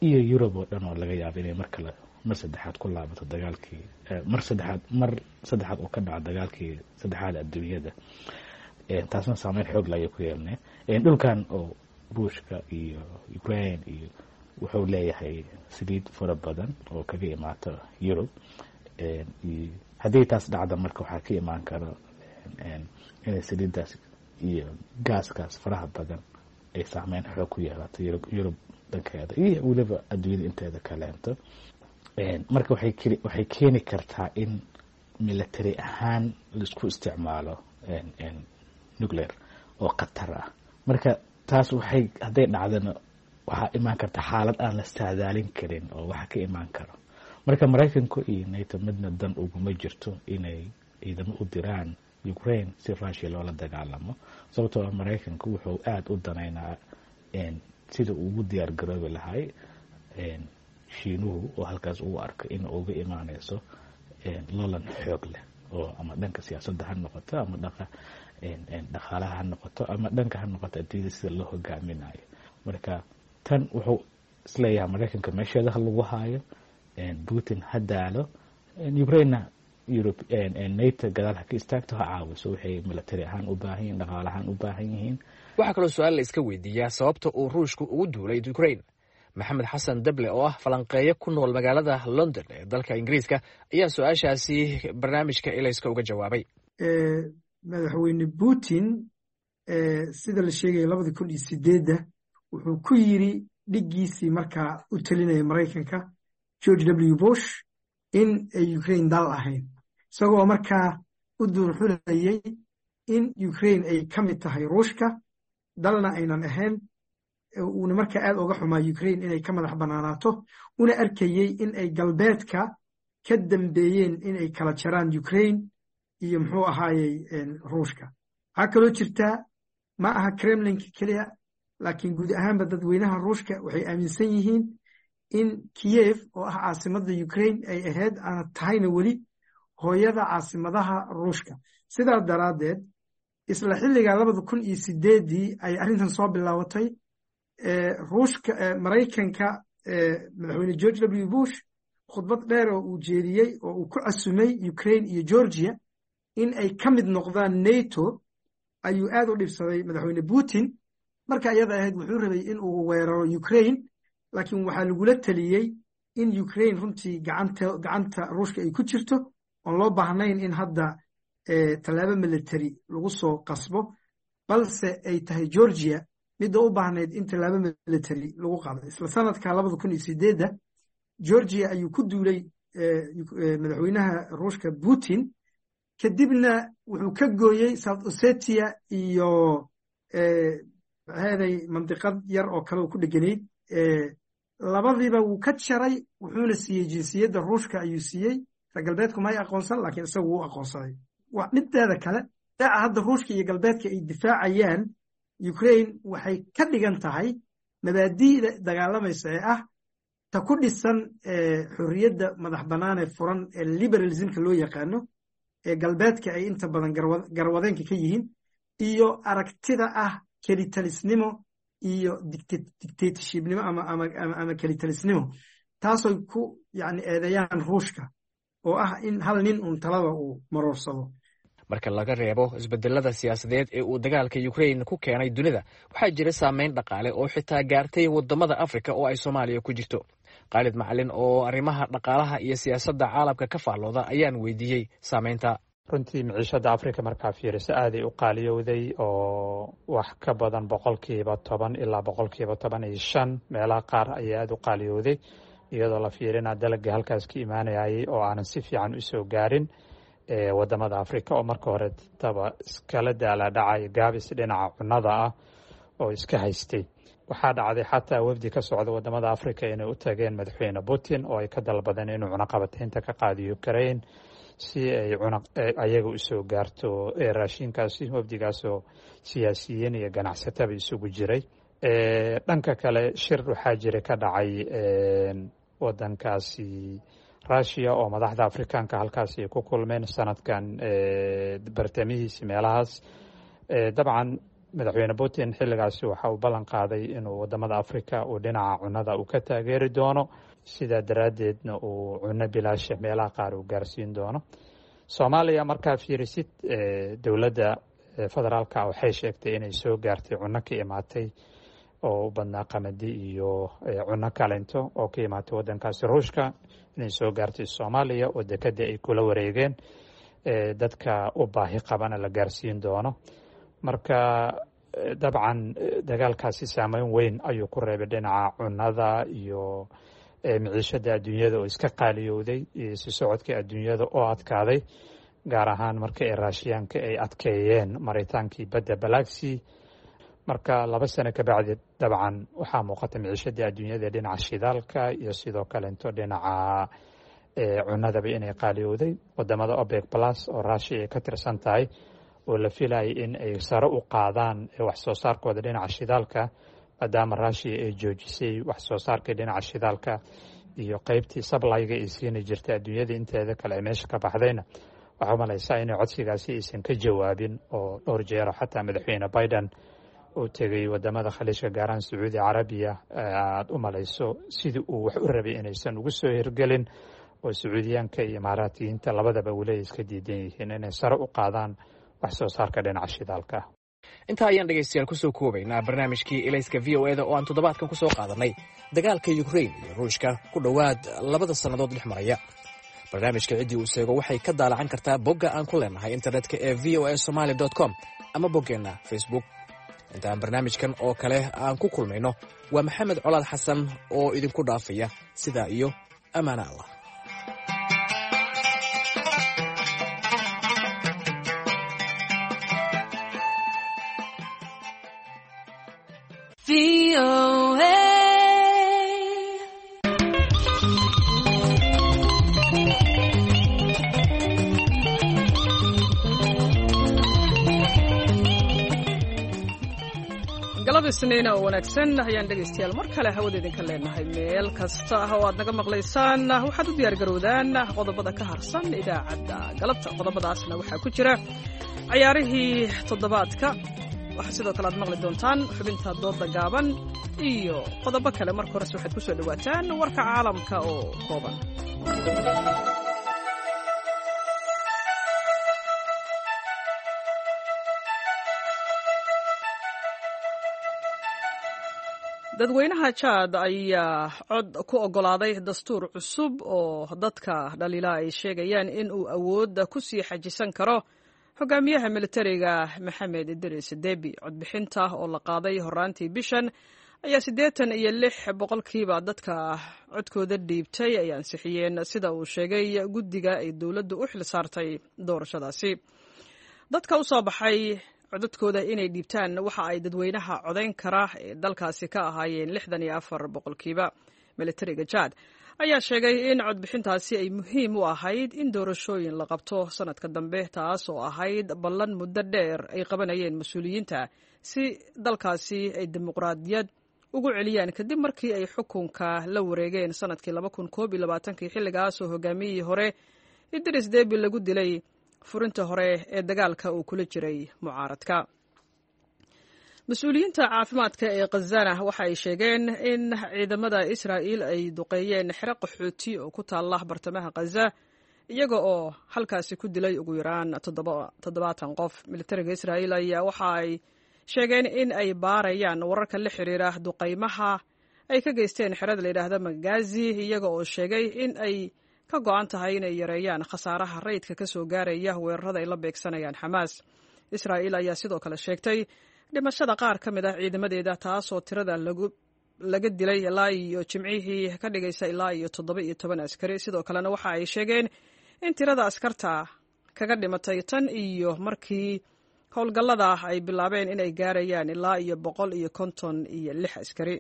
[SPEAKER 2] iyo Yurub oo dhan, oo laga yaabo inay mar kale, mar saddexaad ku laabato dagaalkii, mar saddexaad mar saddexaad uu ka dhaco dagaalkii saddexaad adduunyada. Taasna saameyn xoog leh ayay ku yeelanaya dhulkan oo Ruushka iyo Ukraine, iyo wuxuu leeyahay saliid fara badan oo kaga imaata Yurub. Haddii taas dhacda, marka waxaa ka imaan kara inay saliiddaas iyo gaaskaas faraha badan ay saameyn xoog ku yeelato Yurub dhankeeda iyo weliba adduunyada inteeda kaleento. Marka waxay waxay keeni kartaa in military ahaan laisku isticmaalo nuclear oo khatar ah. Marka taas waxay hadday dhacdana, waxaa imaan karta xaalad aan la saadaalin karin oo waxa ka imaan karo. Marka Maraykanku iyo NATO midna dan uguma jirto inay ciidamo u diraan Ukraine si Russia loola dagaalamo, sababtoo ah Maraykanku wuxuu aada u danaynaa sida uu ugu diyaar garoobi lahay Shiinuhu, oo halkaas uu arko in uga imaaneyso lolan xoog leh, oo ama dhanka siyaasadda ha noqoto, ama dhaqa dhaqaalaha ha noqoto, ama dhanka ha noqoto adduunyada sida loo hogaaminayo. Marka tan wuxuu isleeyahay Maraykanka meesheeda ha lagu haayo, Putin ha daalo, Ukrainena Europe NATO gadaal ha ka istaagto, ha caawiso waxay military ahaan u baahan yihin, dhaqaale ahaan u baahan yihiin.
[SPEAKER 7] Waxaa kaloo su-aal la iska weydiiyaa sababta uu Ruushku ugu duulay Ukraine. Maxamed Xasan Dable oo ah falanqeeyo ku nool magaalada London ee dalka Ingiriiska ayaa su-aashaasi barnaamijka Ilayska uga jawaabay.
[SPEAKER 12] Madaxweyne Putin, sida la sheegaya, labadii kun iyo sideedda wuxuu ku yiri dhiggiisii markaa u telinaya Maraykanka, George W Bush, in ay Ukraine dal ahayn, isagoo markaa u duurxulayay in Ukraine ay ka mid tahay Ruushka, dalna aynan ahayn, uuna markaa aad uga xumaa Ukraine inay ka madax bannaanaato, una arkayey in ay galbeedka ka dambeeyeen inay kala jaraan Ukraine iyo muxuu ahaayey Ruushka. Waxaa kaloo jirtaa, ma aha Kremlinka keliya, laakiin guud ahaanba dadweynaha Ruushka waxay aaminsan yihiin in Kiyev, oo ah caasimadda Ukraine, ay ahayd aana tahayna weli hooyada caasimadaha Ruushka. Sidaa daraaddeed, isla xilligaa labada kun iyo sideeddii ay arrintan soo bilaabatay, Ruushka, Maraykanka, Madaxweyne George W Bush Khudbad dheer oo uu jeediyey oo uu ku casumay Ukraine iyo Georgia in ay ka mid noqdaan NATO ayuu aad u dhibsaday madaxweyne Putin. Marka iyada ahayd wuxuu rabay in uu weeraro Ukraine, laakiin waxaa lagula taliyey in Ukraine runtii gacanta gacanta Ruushka ay ku jirto, oon loo baahnayn in hadda tallaabo military lagu soo qasbo, balse ay tahay Georgia midda u baahnayd in tallaabo military lagu qaado. Isla sanadka labada kun iyo sideedda Georgia ayuu ku duulay madaxweynaha Ruushka Putin, kadibna wuxuu ka gooyey South Ossetia iyo maxaaday mandiqad yar oo kale oo ku dheganayd. Labadiiba wuu ka jaray, wuxuuna siiyey jinsiyadda Ruushka ayuu siiyey. Reer galbeedku may aqoonsan, laakiin isagu wuu aqoonsaday. Mideeda kale, daaca hadda Ruushka iyo galbeedka ay difaacayaan Ukraine waxay ka dhigan tahay mabaadi'da dagaalamaysa ee ah ta ku dhisan xorriyadda madax bannaan ee furan ee liberalismka loo yaqaano ee galbeedka ay inta badan garwadeenka ka yihiin, iyo aragtida ah kelitalisnimo iyo dictatorshipnimo ama ama ama kelitalisnimo, taasoy ku yani eedeeyaan Ruushka oo ah in hal nin uun talada uu maroorsado.
[SPEAKER 7] Marka laga reebo isbedelada siyaasadeed ee uu dagaalka Ukraine ku keenay dunida, waxaa jira saameyn dhaqaale oo xitaa gaartay wadamada Afrika oo ay Soomaaliya ku jirto. Khaalid Macalin oo arrimaha dhaqaalaha iyo siyaasadda caalamka ka faallooda ayaan weydiiyey saameynta.
[SPEAKER 13] Runtii miciishada Afrika markaa fiiriso aaday u qaaliyowday, oo wax ka badan boqolkiiba toban ilaa boqolkiiba toban iyo shan meelaha qaar ayaa aada u qaaliyowday, iyadoo la fiirina dalagii halkaas ka imaanayay oo aanan si fiican usoo gaarin wadamada Afrika, oo marka hore taba iskala daalaadhacay gaabis dhinaca cunnada ah oo iska haystay. Waxaa dhacday xataa wafdi ka socda wadamada Afrika inay u tageen madaxweyne Putin oo ay ka dalbadeen inuu cunaqabataynta ka qaado Ukraine si ay ayaga usoo gaarto raashinkaasi. Wafdigaasoo siyaasiyiin iyo ganacsataba isugu jiray. Dhanka kale, shir waxaa jira ka dhacay wadankaasi Russia oo madaxda Afrikaanka halkaasi ay ku kulmeen sanadkan bartamihiisi meelahaas. Dabcan madaxweyne Putin xilligaasi waxa uu ballan qaaday inuu wadamada Africa uu dhinaca cunnada uu ka taageeri doono, sidaa daraaddeedna uu cunno bilaasha meelaha qaar uu gaarsiin doono. Soomaaliya markaa fiirisid, dowladda federaalka waxay sheegtay inay soo gaartay cunno ka imaatay oo u badnaa qamadi iyo cunno kalento oo ka imaatay waddankaasi Ruushka, inay soo gaartay Soomaaliya oo dekada ay kula wareegeen, dadka u baahi qabana la gaarsiin doono. Marka dabcan dagaalkaasi saameyn weyn ayuu ku reebay dhinaca cunnada iyo miciishada adduunyada oo iska qaaliyowday, iyo si socodka adduunyada oo adkaaday, gaar ahaan marka ay Raashiyaanka ay adkeeyeen maritaankii badda Balaxi. Marka laba sano ka bacdi dabcan waxaa muuqata miciishadii adduunyada dhinaca shidaalka iyo sidoo kalento dhinaca cunnadaba inay qaaliyowday. Wadamada OPEC Plus oo Russia ay ka tirsan tahay oo la filayay in ay sare u qaadaan wax soo saarkooda dhinaca shidaalka, maadaama Russia ay joojisay wax soo saarkii dhinaca shidaalka iyo qeybtii sablayga ay siini jirtay adduunyada inteeda kale ay meesha ka baxdayna, waxaa u malaysaa inay codsigaasi aysan ka jawaabin, oo dhowr jeero xataa madaxweyne Biden uu tegay wadamada Khaliijka, gaaraan Sacuudi Carabiya, aada u malayso sidii uu wax u rabay inaysan ugu soo hirgelin, oo Sacuudiyaanka iyo Imaaraatiyiinta labadaba weli ay iska diidan yihiin inay sare u qaadaan wax soo saarka dhinaca shidaalka.
[SPEAKER 7] Intaa ayaan dhegaystayaal kusoo koobaynaa barnaamijkii Ilayska V O eda oo aan toddobaadkan kusoo qaadanay dagaalka Ukraine iyo Ruushka ku dhowaad labada sannadood dhex maraya. Barnaamijka ciddii uu seego waxay ka daalacan kartaa bogga aan ku leenahay internetka ee v o a somaly com ama boggeenna Facebook. Inta aan barnaamijkan oo kale aan ku kulmayno, waa Maxamed Colaad Xasan oo idinku dhaafaya sidaa iyo ammaana Allah.
[SPEAKER 1] Galab Isniina oo wanaagsan ayaan dhegaystayaal mar kale hawada idinka leenahay meel kasta ah oo aad naga maqlaysaan. Waxaad u diyaargarowdaan qodobada ka harsan idaacadda galabta. Qodobadaasna waxaa ku jira cayaarihii toddobaadka, waxaa sidoo kale aad maqli doontaan xubinta dooda gaaban iyo qodobo kale. Marka horese waxaad ku soo dhowaataan warka caalamka oo kooban. Dadweynaha Jaad ayaa cod ku oggolaaday dastuur cusub oo dadka dhaliila ay sheegayaan in uu awoodda ku sii xajisan karo hogaamiyaha militariga Maxamed Idris Debi. Codbixinta oo la qaaday horaantii bishan ayaa siddeetan iyo lix boqolkiiba dadka codkooda dhiibtay ay ansixiyeen, sida uu sheegay guddiga ay dowladdu u xil saartay doorashadaasi. Dadka u soo baxay codadkooda inay dhiibtaan waxa ay dadweynaha codayn kara ee dalkaasi ka ahaayeen lixdan iyo afar boqolkiiba. Militariga Jaad ayaa sheegay in codbixintaasi ay muhiim u ahayd in doorashooyin la qabto sanadka dambe, taas oo ahayd ballan muddo dheer ay qabanayeen mas-uuliyiinta si dalkaasi ay dimuqraadiyad ugu celiyaan kadib markii ay xukunka la wareegeen sanadkii laba kun koob iyo labaatankii, xilligaas oo hogaamiyihii hore Idris Debi lagu dilay furinta hore ee dagaalka uu kula jiray mucaaradka. Mas-uuliyiinta caafimaadka ee Khazana waxa ay sheegeen in ciidamada Israa'iil ay duqeeyeen xero qaxooti oo ku taalla bartamaha Khaza, iyaga oo halkaasi ku dilay ugu yaraan toddobaatan qof. Militariga Israa'iil ayaa waxa ay sheegeen in ay baarayaan wararka la xiriira duqeymaha ay ka geysteen xerada la yidhaahda Magazi, iyaga oo sheegay in ay ka go-an tahay inay yareeyaan khasaaraha rayidka ka soo gaaraya weerarada ay la beegsanayaan Xamaas. Israa'iil ayaa sidoo kale sheegtay dhimashada qaar ka mid ah ciidamadeeda, taasoo tirada laga dilay ilaa iyo jimcihii ka dhigaysa ilaa iyo toddoba iyo toban askari. Sidoo kalena waxa ay sheegeen in tirada askarta kaga dhimatay tan iyo markii howlgallada ay bilaabeen inay gaarayaan ilaa iyo boqol iyo konton iyo lix askari.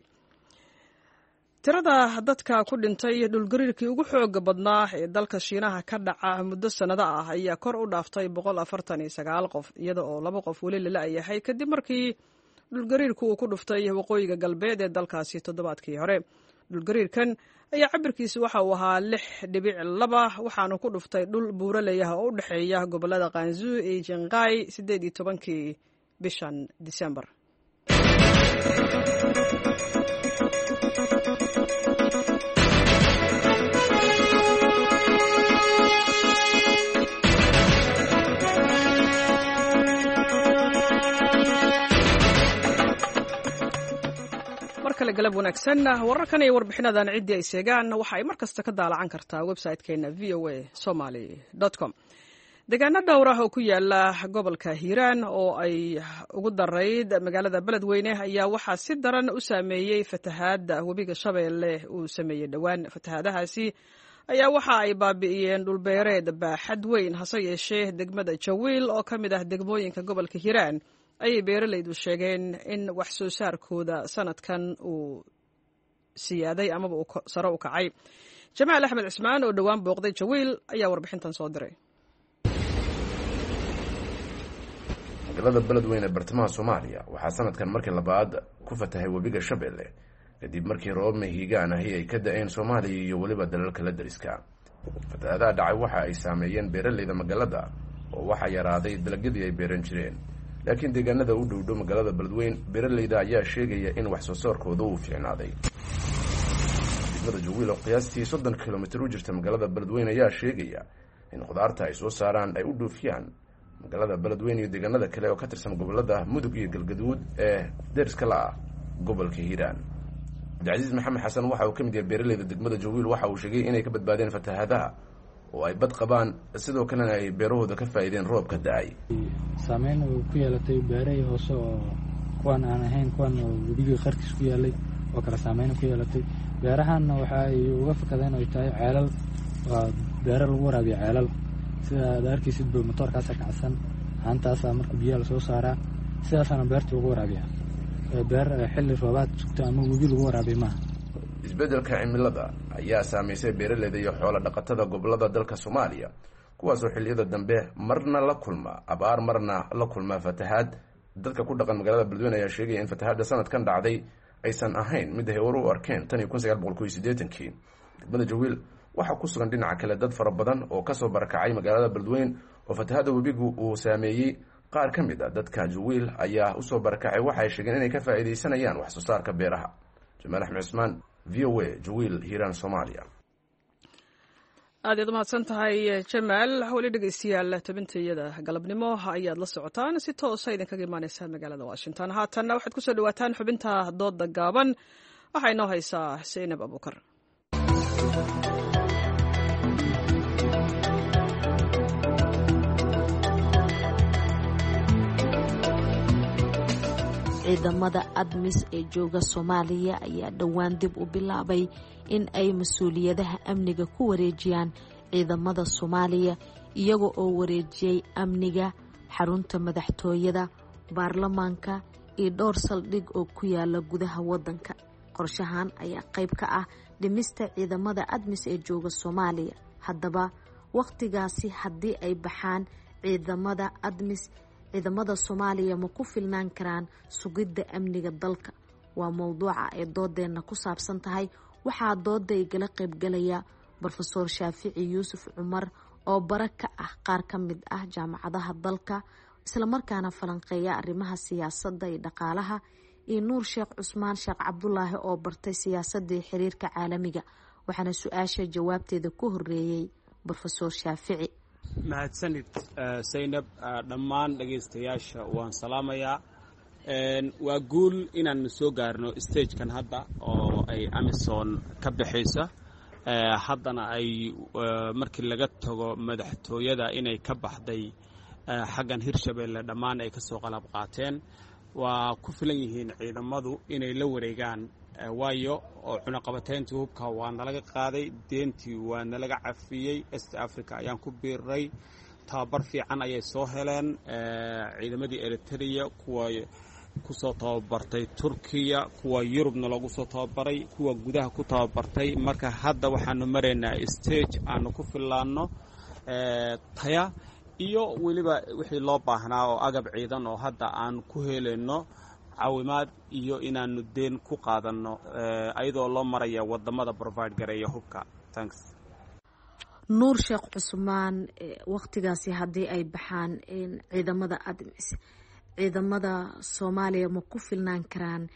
[SPEAKER 1] Tirada dadka ku dhintay dhulgariirkii ugu xooga badnaa ee dalka Shiinaha ka dhaca muddo sannado ah ayaa kor u dhaaftay boqol afartan iyo sagaal qof, iyada oo laba qof weli la la'yahay kadib markii dhulgariirku uu ku dhuftay waqooyiga galbeed ee dalkaasi toddobaadkii hore. Dhulgariirkan ayaa cabirkiisu waxa uu ahaa lix dhibic laba, waxaanu ku dhuftay dhul buuraleyah oo u dhexeeya gobollada Kanzu iyo Jinqai siddeed iyo tobankii bishan Disembar. Markale galab wanaagsan. Wararkan iyo warbixinadan ciddii ay seegaan waxa ay mar kasta ka daalacan kartaa website-keena v o a somaly com. Deegaano dhowr ah oo ku yaala gobolka Hiiraan oo ay ugu darayd magaalada Beledweyne ayaa waxaa si daran u saameeyey fatahaadda webiga Shabeelle uu sameeyey dhowaan. Fatahaadahaasi ayaa waxa ay baabi'iyeen dhulbeereed baaxad weyn, hase yeeshee degmada Jawiil oo ka mid ah degmooyinka gobolka Hiiraan ayay beeralaydu sheegeen in wax soo saarkooda sanadkan uu siyaaday amaba uu sare u kacay. Jamaal Axmed Cismaan oo dhowaan booqday Jawiil ayaa warbixintan soo diray.
[SPEAKER 5] Magaalada Beledweyne ee bartamaha Soomaaliya waxaa sanadkan markii labaad ku fatahay webiga Shabeelle kadib markii roobab mahiigaan ahi ay ka da-een Soomaaliya iyo weliba dalalka la dariska. Fatahaadaha dhacay waxa ay saameeyeen beeralayda magaalada oo waxaa yaraaday dalagyadii ay beeran jireen, laakiin deegaanada u dhowdhow magaalada Beledweyne beeralayda ayaa sheegaya in wax soo saarkooda uu fiicnaaday. Degmada Jawiil oo qiyaastii soddon kilomitir u jirta magaalada Beledweyne ayaa sheegaya in khudaarta ay soo saaraan ay u dhoofiyaan magaalada Beledweyne iyo deegaanada kale oo ka tirsan gobolada Mudug iyo Galgaduud ee deriska la ah gobolka Hiiraan. Cabdicasiis Maxamed Xasan waxa uu ka mid yahay beeralayda degmada Jawiil. Waxa uu sheegay inay ka badbaadeen fatahaadaha oo ay bad qabaan, sidoo kalena ay beerahooda ka faa'iideen roobka da-ay.
[SPEAKER 14] Saameyn uu ku yeelatay beerahii hoose oo kuwan aan ahayn kuwan oo webigii qarkiis ku yaalay oo kale saameyn ku yeelatay. Beerahanna waxa ay uga fakadeen ay tahay ceelal, waa beero lagu waraabiyo ceelal. Sida aad arkaysid ba matoorkaasa kacsan, haantaasaa marka biyaha lasoo saaraa, sidaasaana beerta lagu waraabiyaa. Beer xilli roobaad sugta ama webi lagu waraabiya maaha.
[SPEAKER 5] Isbeddelka cimilada ayaa saameysay beeralayda iyo xoola dhaqatada gobolada dalka Soomaaliya, kuwaasoo xilliyada dambe marna la kulma abaar, marna la kulma fatahaad. Dadka ku dhaqan magaalada Beledweyne ayaa sheegaya in fatahaadda sanadkan dhacday aysan ahayn mid ay hore u arkeen tan iyo kun sagaal boqol kow iyo siddeetankii. Degmada Jawiil waxaa ku sugan dhinaca kale dad fara badan oo kasoo barakacay magaalada Beledweyne oo fatahaadda webigu uu saameeyey. Qaar ka mid a dadka Jawiil ayaa usoo barakacay, waxay sheegeen inay ka faa'iidaysanayaan wax soo saarka beeraha. Jamaal Axmed Cismaan, V O A, Jawiil, Hiiraan, Soomaaliya.
[SPEAKER 1] Aad iyaad umahadsan tahay Jamaal. Weli dhegeystayaal, tabintayada galabnimo ayaad la socotaan, si toosa idinkaga imaaneysa magaalada Washington. Haatanna waxaad kusoo dhawaataan xubinta dooda gaaban. Waxaa inoo haysaa Saynab Abuukar.
[SPEAKER 15] Ciidamada ADMIS ee jooga Soomaaliya ayaa dhowaan dib u bilaabay in ay mas-uuliyadaha amniga ku wareejiyaan ciidamada Soomaaliya, iyaga oo wareejiyey amniga xarunta madaxtooyada, baarlamaanka iyo dhowr saldhig oo ku yaala gudaha wadanka. Qorshahan ayaa qayb ka ah dhimista ciidamada ADMIS ee jooga Soomaaliya. Haddaba wakhtigaasi haddii ay baxaan ciidamada ADMIS, ciidamada Soomaaliya ma ku filnaan karaan sugidda amniga dalka? Waa mowduuca ay doodeenna ku saabsan tahay. Waxaa dooda igala qaybgalaya Brofesoor Shaafici Yuusuf Cumar oo bara ka ah qaar ka mid ah jaamacadaha dalka, islamarkaana falanqeeya arrimaha siyaasadda iyo dhaqaalaha, iyo Nuur Sheekh Cusmaan Sheekh Cabdulaahi oo bartay siyaasadda iyo xiriirka caalamiga. Waxaana su-aasha jawaabteeda ku horeeyey Brofesoor Shaafici.
[SPEAKER 16] Mahadsanid Saynab. Dhammaan dhegaystayaasha waan salaamayaa. Waa guul inaanu soo gaarno stagekan hadda oo ay AMISOM ka baxaysa, haddana ay markii laga tago madaxtooyada inay ka baxday xaggan Hirshabeelle, dhammaan ay ka soo qalab qaateen. Waa ku filan yihiin ciidamadu inay la wareegaan, waayo oo cunaqabateyntii hubka waa nalaga qaaday, deentii waa nalaga cafiyey, East Africa ayaan ku biiray, tababar fiican ayay soo heleen ciidamadii Eritrea, kuwa kusoo tababartay Turkiya, kuwa Yurubna loogu soo tababaray, kuwa gudaha ku tababartay. Marka hadda waxaanu maraynaa stage aanu ku fillaanno taya iyo weliba wixii loo baahnaa oo agab ciidan oo hadda aan ku helayno caawimaad iyo inaanu deen ku qaadanno, ayadoo loo maraya wadamada provide gareeya hubka. Thanks.
[SPEAKER 15] Nuur Sheekh Cusmaan, wakhtigaasi haddii ay baxaan ciidamada ADMIS, ciidamada Soomaaliya ma ku filnaan karaan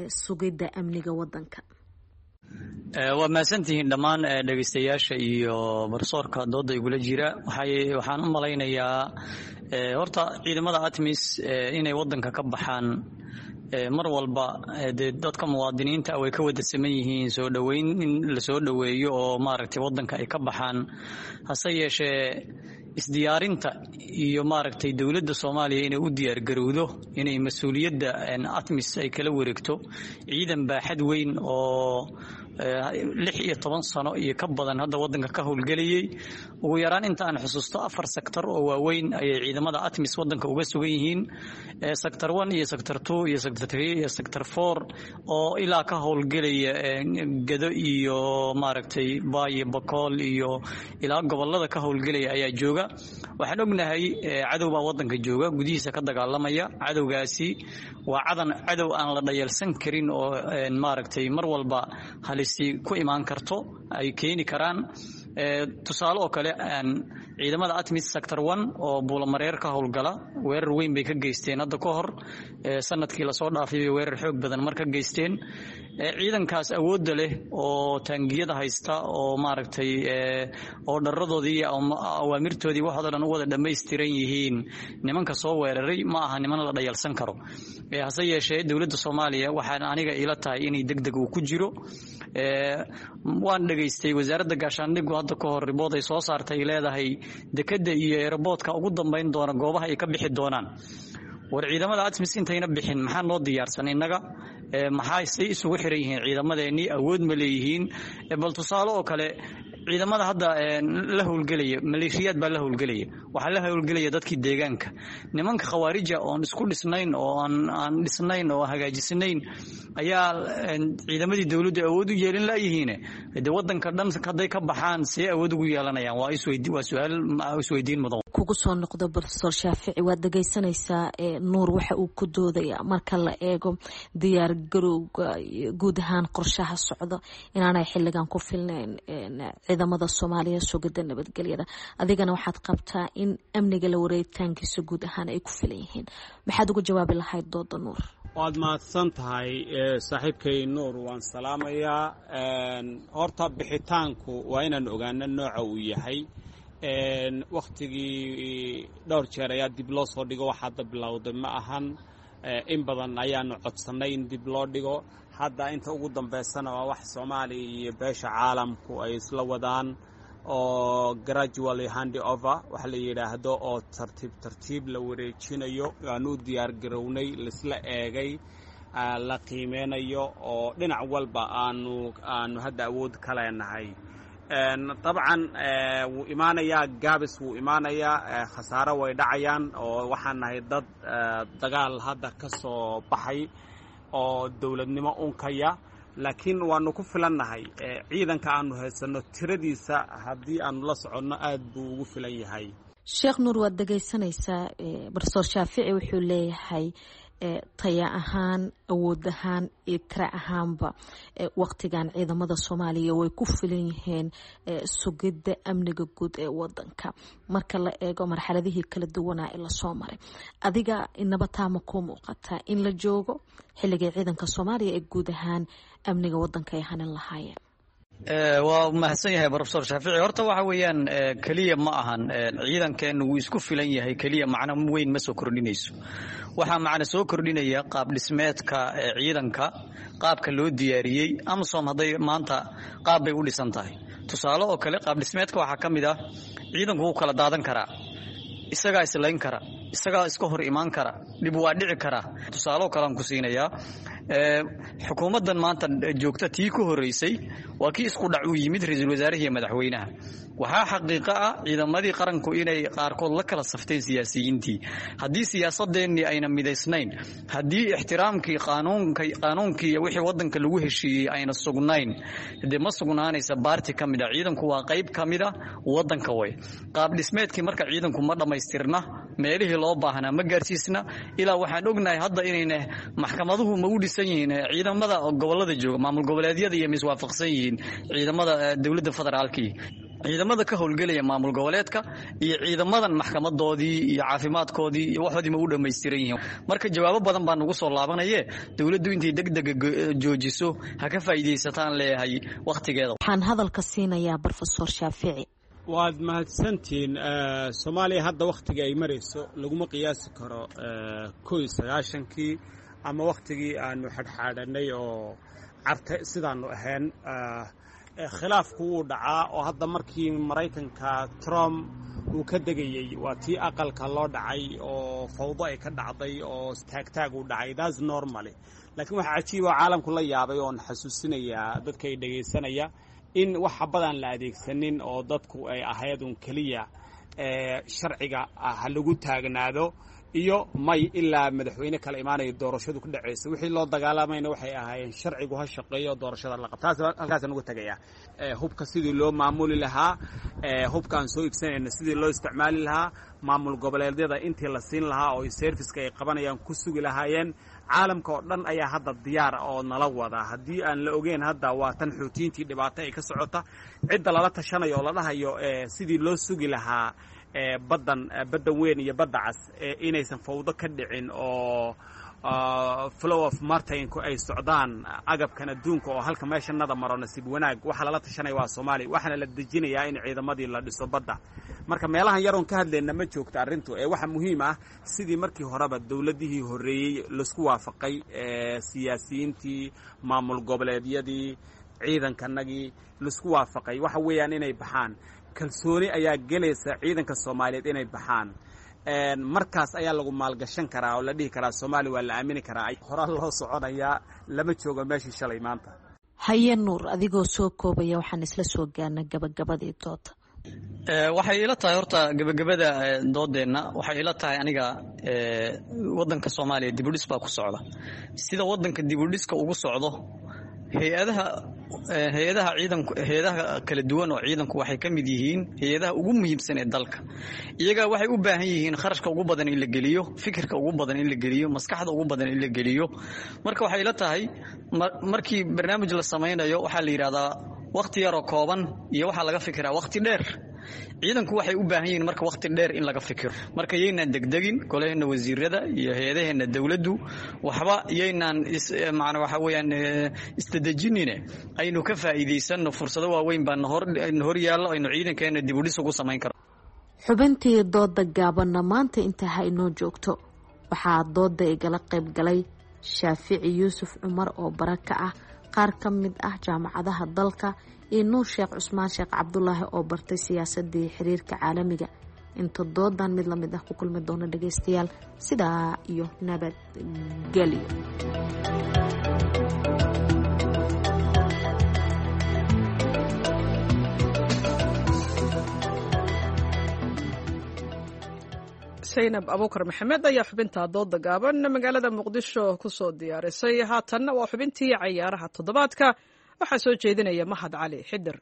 [SPEAKER 15] sugidda amniga wadanka?
[SPEAKER 17] Waa mahadsantihiin dhammaan dhegeystayaasha iyo barsoorka dooda igula jira. Waxay waxaan u malaynayaa horta ciidamada ATMIS inay wadanka ka baxaan mar walba dee dadka muwaadiniinta way ka wada saman yihiin soo dhoweyn in lasoo dhoweeyo oo maaragtay wadanka ay ka baxaan. Hase yeeshee isdiyaarinta iyo maaragtay dowladda Soomaaliya inay u diyaargarowdo inay mas-uuliyadda ATMIS ay kala wareegto, ciidan baaxad weyn oo lix iyo toban sano iyo ka badan hadda wadanka ka howlgelayay. Ugu yaraan inta aan xusuusto afar sektor oo waaweyn ayay ciidamada ATMIS wadanka uga sugan yihiin, sector one iyo sector two iyo sector three iyo sector four, oo ilaa ka howlgelaya Gado iyo maaragtay Baay, Bakool iyo ilaa gobolada ka howlgelaya ayaa jooga. Waxaan ognahay cadow baa wadanka jooga, gudihiisa ka dagaalamaya. Cadowgaasi waa cadan cadow aan la dhayalsan karin oo maaragtay mar walba halisi ku imaan karto ay keeni karaan. Tusaale oo kale, ciidamada ATMIS sector one oo Buulamareer ka howlgala weerar weyn bay ka geysteen hadda ka hor, sanadkii lasoo dhaafay bay weerar xoog badan mar ka geysteen. Ciidankaas awoodda leh oo taangiyada haysta oo maaragtay oo dharadoodii iyo awaamirtoodii waxooda dhan u wada dhammaystiran yihiin, nimanka soo weeraray ma aha niman la dhayalsan karo. Hase yeeshee dowladda Soomaaliya waxaan aniga ila tahay inay deg deg uu ku jiro. Waan dhegaystay wasaaradda gaashaandhigu hadda ka hor ribood ay soo saartay, leedahay dekadda iyo eeraboodka ugu dambeyn doona goobaha ay ka bixi doonaan. War ciidamada ATMIS intayna bixin maxaa noo diyaarsan innaga? Maxaa say isugu xiran yihiin ciidamadeennii? Awood ma leeyihiin? Bal tusaale oo kale, ciidamada hadda la howlgelaya maleeshiyaad baa la howlgelaya, waxaa la howlgelaya dadkii deegaanka. Nimanka khawaarija oon isku dhisnayn oo aan aan dhisnayn oo hagaajisnayn ayaa ciidamadii dowladdu awood u yeelin laayihiin. Dee wadanka dhan hadday ka baxaan see awood ugu yeelanayaan? Waa isweydi waa su-aal isweydiin mudan.
[SPEAKER 15] Kugu soo noqdo Brofesor Shaafici, waad dhegeysanaysaa Nuur waxa uu ku doodaya marka la eego diyaar garowga guud ahaan qorshaha socda inaanay xilligan ku filnayn ciidamada Soomaaliya sugidda nabadgelyada. Adigana waxaad qabtaa in amniga la wareegitaankiisa guud ahaan ay ku filan yihiin. Maxaad uga jawaabi lahayd dooda Nuur?
[SPEAKER 16] Waad mahadsan tahay saaxiibkay Nuur, waan salaamayaa. Horta bixitaanku waa inaan ogaano nooca uu yahay. Wakhtigii dhowr jeer ayaa dib loo soo dhigo, wax hadda bilowday ma ahan. In badan ayaanu codsannay in dib loo dhigo. Hadda inta ugu dambaysana waa wax Soomaaliya iyo beesha caalamku ay isla wadaan oo gradually hand over waxa la yidhaahdo, oo tartiib tartiib la wareejinayo. Aanu u diyaar garownay, laisla eegay, la qiimeynayo oo dhinac walba aanu aanu hadda awood ka leenahay. Dabcan wuu imaanayaa gaabis, wuu imaanayaa khasaaro, way dhacayaan oo waxaan nahay dad dagaal hadda ka soo baxay oo dowladnimo unkaya, laakiin waanu ku filannahay. Ciidanka aanu haysanno tiradiisa haddii aanu la soconno aad buu ugu filan yahay.
[SPEAKER 15] Sheekh Nuur, waad dhegaysanaysaa Professor Shaafici wuxuu leeyahay taya ahaan, awood ahaan iyo tira ahaanba waqtigan ciidamada Soomaaliya way ku filan yihiin sugidda amniga guud ee wadanka marka la eego marxaladihii kala duwanaa ee lasoo maray. Adiga inaba taama kuu muuqataa in la joogo xilligay ciidanka Soomaaliya ee guud ahaan amniga wadanka ay hanin lahaayeen?
[SPEAKER 17] Waa mahadsan yahay Professor Shaafici. Horta waxa weeyaan, keliya ma ahan ciidankeenu wuu isku filan yahay keliya macno weyn ma soo kordhinayso. Waxaa macno soo kordhinaya qaab dhismeedka ciidanka, qaabka loo diyaariyey. AMISOM hadday maanta qaab bay u dhisan tahay. Tusaale oo kale, qaab dhismeedka waxaa ka mid ah ciidanku wuu kala daadan karaa, isagaa islayn kara, isagaa iska hor imaan kara, dhib waa dhici karaa. Tusaale oo kale aan ku siinayaa, xukuumaddan maanta joogta tii ku horreysay waa kii isku dhac uu yimid ra-iisul wasaaraha iyo madaxweynaha. Waxaa xaqiiqo ah ciidamadii qaranku inay qaarkood la kala safteen siyaasiyiintii. Haddii siyaasadeennii ayna midaysnayn, haddii ixtiraamkii qaanuunka qaanuunkii iyo wixii waddanka lagu heshiiyey ayna sugnayn, dee ma sugnaanaysa baarti ka mid a. Ciidanku waa qayb ka mid a waddanka way. Qaab dhismeedkii marka ciidanku ma dhammaystirna, meelihii loo baahnaa ma gaarsiisna. Ilaa waxaan ognahay hadda inayna maxkamaduhu ma u dhisan yihiin ciidamada gobolada jooga, maamul goboleedyada iyo miswaafaqsan yihiin ciidamada dowladda federaalkii, ciidamada ka howlgelaya maamul goboleedka iyo ciidamadan maxkamadoodii iyo caafimaadkoodii iyo waxoodii ma u dhammaystiran yihiin? Marka jawaabo badan baa nagu soo laabanaye, dowladdu intay degdega joojiso ha ka faa'iidaysataan leeyahay wakhtigeeda.
[SPEAKER 15] Waxaan hadalka siinayaa Professor Shaafici.
[SPEAKER 16] Waad mahadsantihiin. Soomaaliya hadda wakhtiga ay marayso laguma qiyaasi karo kow iyo sagaashankii ama wakhtigii aanu xadhxaadhanay oo carte sidaanu ahayn. Khilaafku wuu dhacaa oo hadda markii Maraykanka Trump uu ka degayey waa tii aqalka loo dhacay oo fawdo ay ka dhacday oo taagtaag uu dhacay. That's normally. Laakiin waxaa cajiib oo caalamku la yaabay oon xasuusinayaa dadka ay dhegaysanaya in wax xabadaan la adeegsanin oo dadku ay ahayd un keliya sharciga ha lagu taagnaado iyo may ilaa madaxweyne kala imaanayo doorashadu ku dhacaysa. Wixii loo dagaalamayna waxay ahaayeen sharcigu ha shaqeeyo, doorashada la qabto. Taas halkaasaan uga tegayaa. Hubka sidii loo maamuli lahaa, hubka aan soo iibsanayna sidii loo isticmaali lahaa, maamul goboleedyada intii la siin lahaa oo serviceka ay qabanayaan ku sugi lahaayeen. Caalamka oo dhan ayaa hadda diyaar oo nala wada. Haddii aan la ogeyn hadda waa tan xuutiyiintii dhibaato ay ka socota, cidda lala tashanayo oo la dhahayo sidii loo sugi lahaa baddan, badda weyn iyo badda cas inaysan fawdo ka dhicin oo flow of martinku ay socdaan, agabkan adduunka oo halka meeshanada maro. Nasiib wanaag waxaa lala tashanaya waa Soomaaliya, waxaana la dejinayaa in ciidamadii la dhiso badda. Marka meelahan yaroon ka hadlayna ma joogta arrintu ee waxa muhiim ah sidii markii horeba dowladihii horreeyey laisku waafaqay, siyaasiyiintii, maamul goboleedyadii, ciidankanagii laisku waafaqay, waxa weeyaan inay baxaan. Kalsooni ayaa gelaysa ciidanka Soomaaliyeed inay baxaan. Markaas ayaa lagu maalgashan karaa oo la dhihi karaa Soomaaliya waa la aamini karaa, horaa loo soconayaa. Lama joogo meeshii shalay maanta.
[SPEAKER 15] Haye Nuur, adigoo soo koobaya, waxaan isla soo gaarnay gabagabadii dooda.
[SPEAKER 17] Waxay ila tahay horta gabagabada doodeenna, waxay ila tahay aniga wadanka Soomaaliya dibudhis baa ku socda. Sida wadanka dibudhiska ugu socdo, hay-adaha hay-adaha ciidanku, hay-adaha kala duwan oo ciidanku waxay ka mid yihiin hay-adaha ugu muhiimsan ee dalka. Iyaga waxay u baahan yihiin kharashka ugu badan in la geliyo, fikirka ugu badan in la geliyo, maskaxda ugu badan in la geliyo. Marka waxay ila tahay markii barnaamij la samaynayo waxaa la yidhahdaa wakhti yaroo kooban iyo waxaa laga fikiraa wakhti dheer. Ciidanku waxay u baahan yihiin marka waqti dheer in laga fikiro. Marka yaynaan degdegin, golaheenna wasiirada iyo hay-adaheenna dowladdu waxba yaynaan macna waxa weeyaan isdadejinine, aynu ka faa'iidaysanno fursado waaweyn baa nahor hor yaallo, aynu ciidankeena dib u dhis ugu samayn karo.
[SPEAKER 15] Xubintii dooda gaabanna maanta intaa ha inoo joogto. Waxaa dooda igala qayb galay Shaafici Yuusuf Cumar oo bara ka ah qaar ka mid ah jaamacadaha dalka iyo Nuur Sheekh Cusmaan Sheekh Cabdulaahi oo bartay siyaasadii xiriirka caalamiga. Inta doodan mid lamid ah ku kulmi doona dhageystayaal, sidaa iyo nabadgelyo.
[SPEAKER 1] Saynab Abuukar Maxamed ayaa xubinta dooda gaaban magaalada Muqdisho kusoo diyaarisay. Haatanna waa xubintii cayaaraha toddobaadka, waxaa soo jeedinaya Mahad Cali Xidir.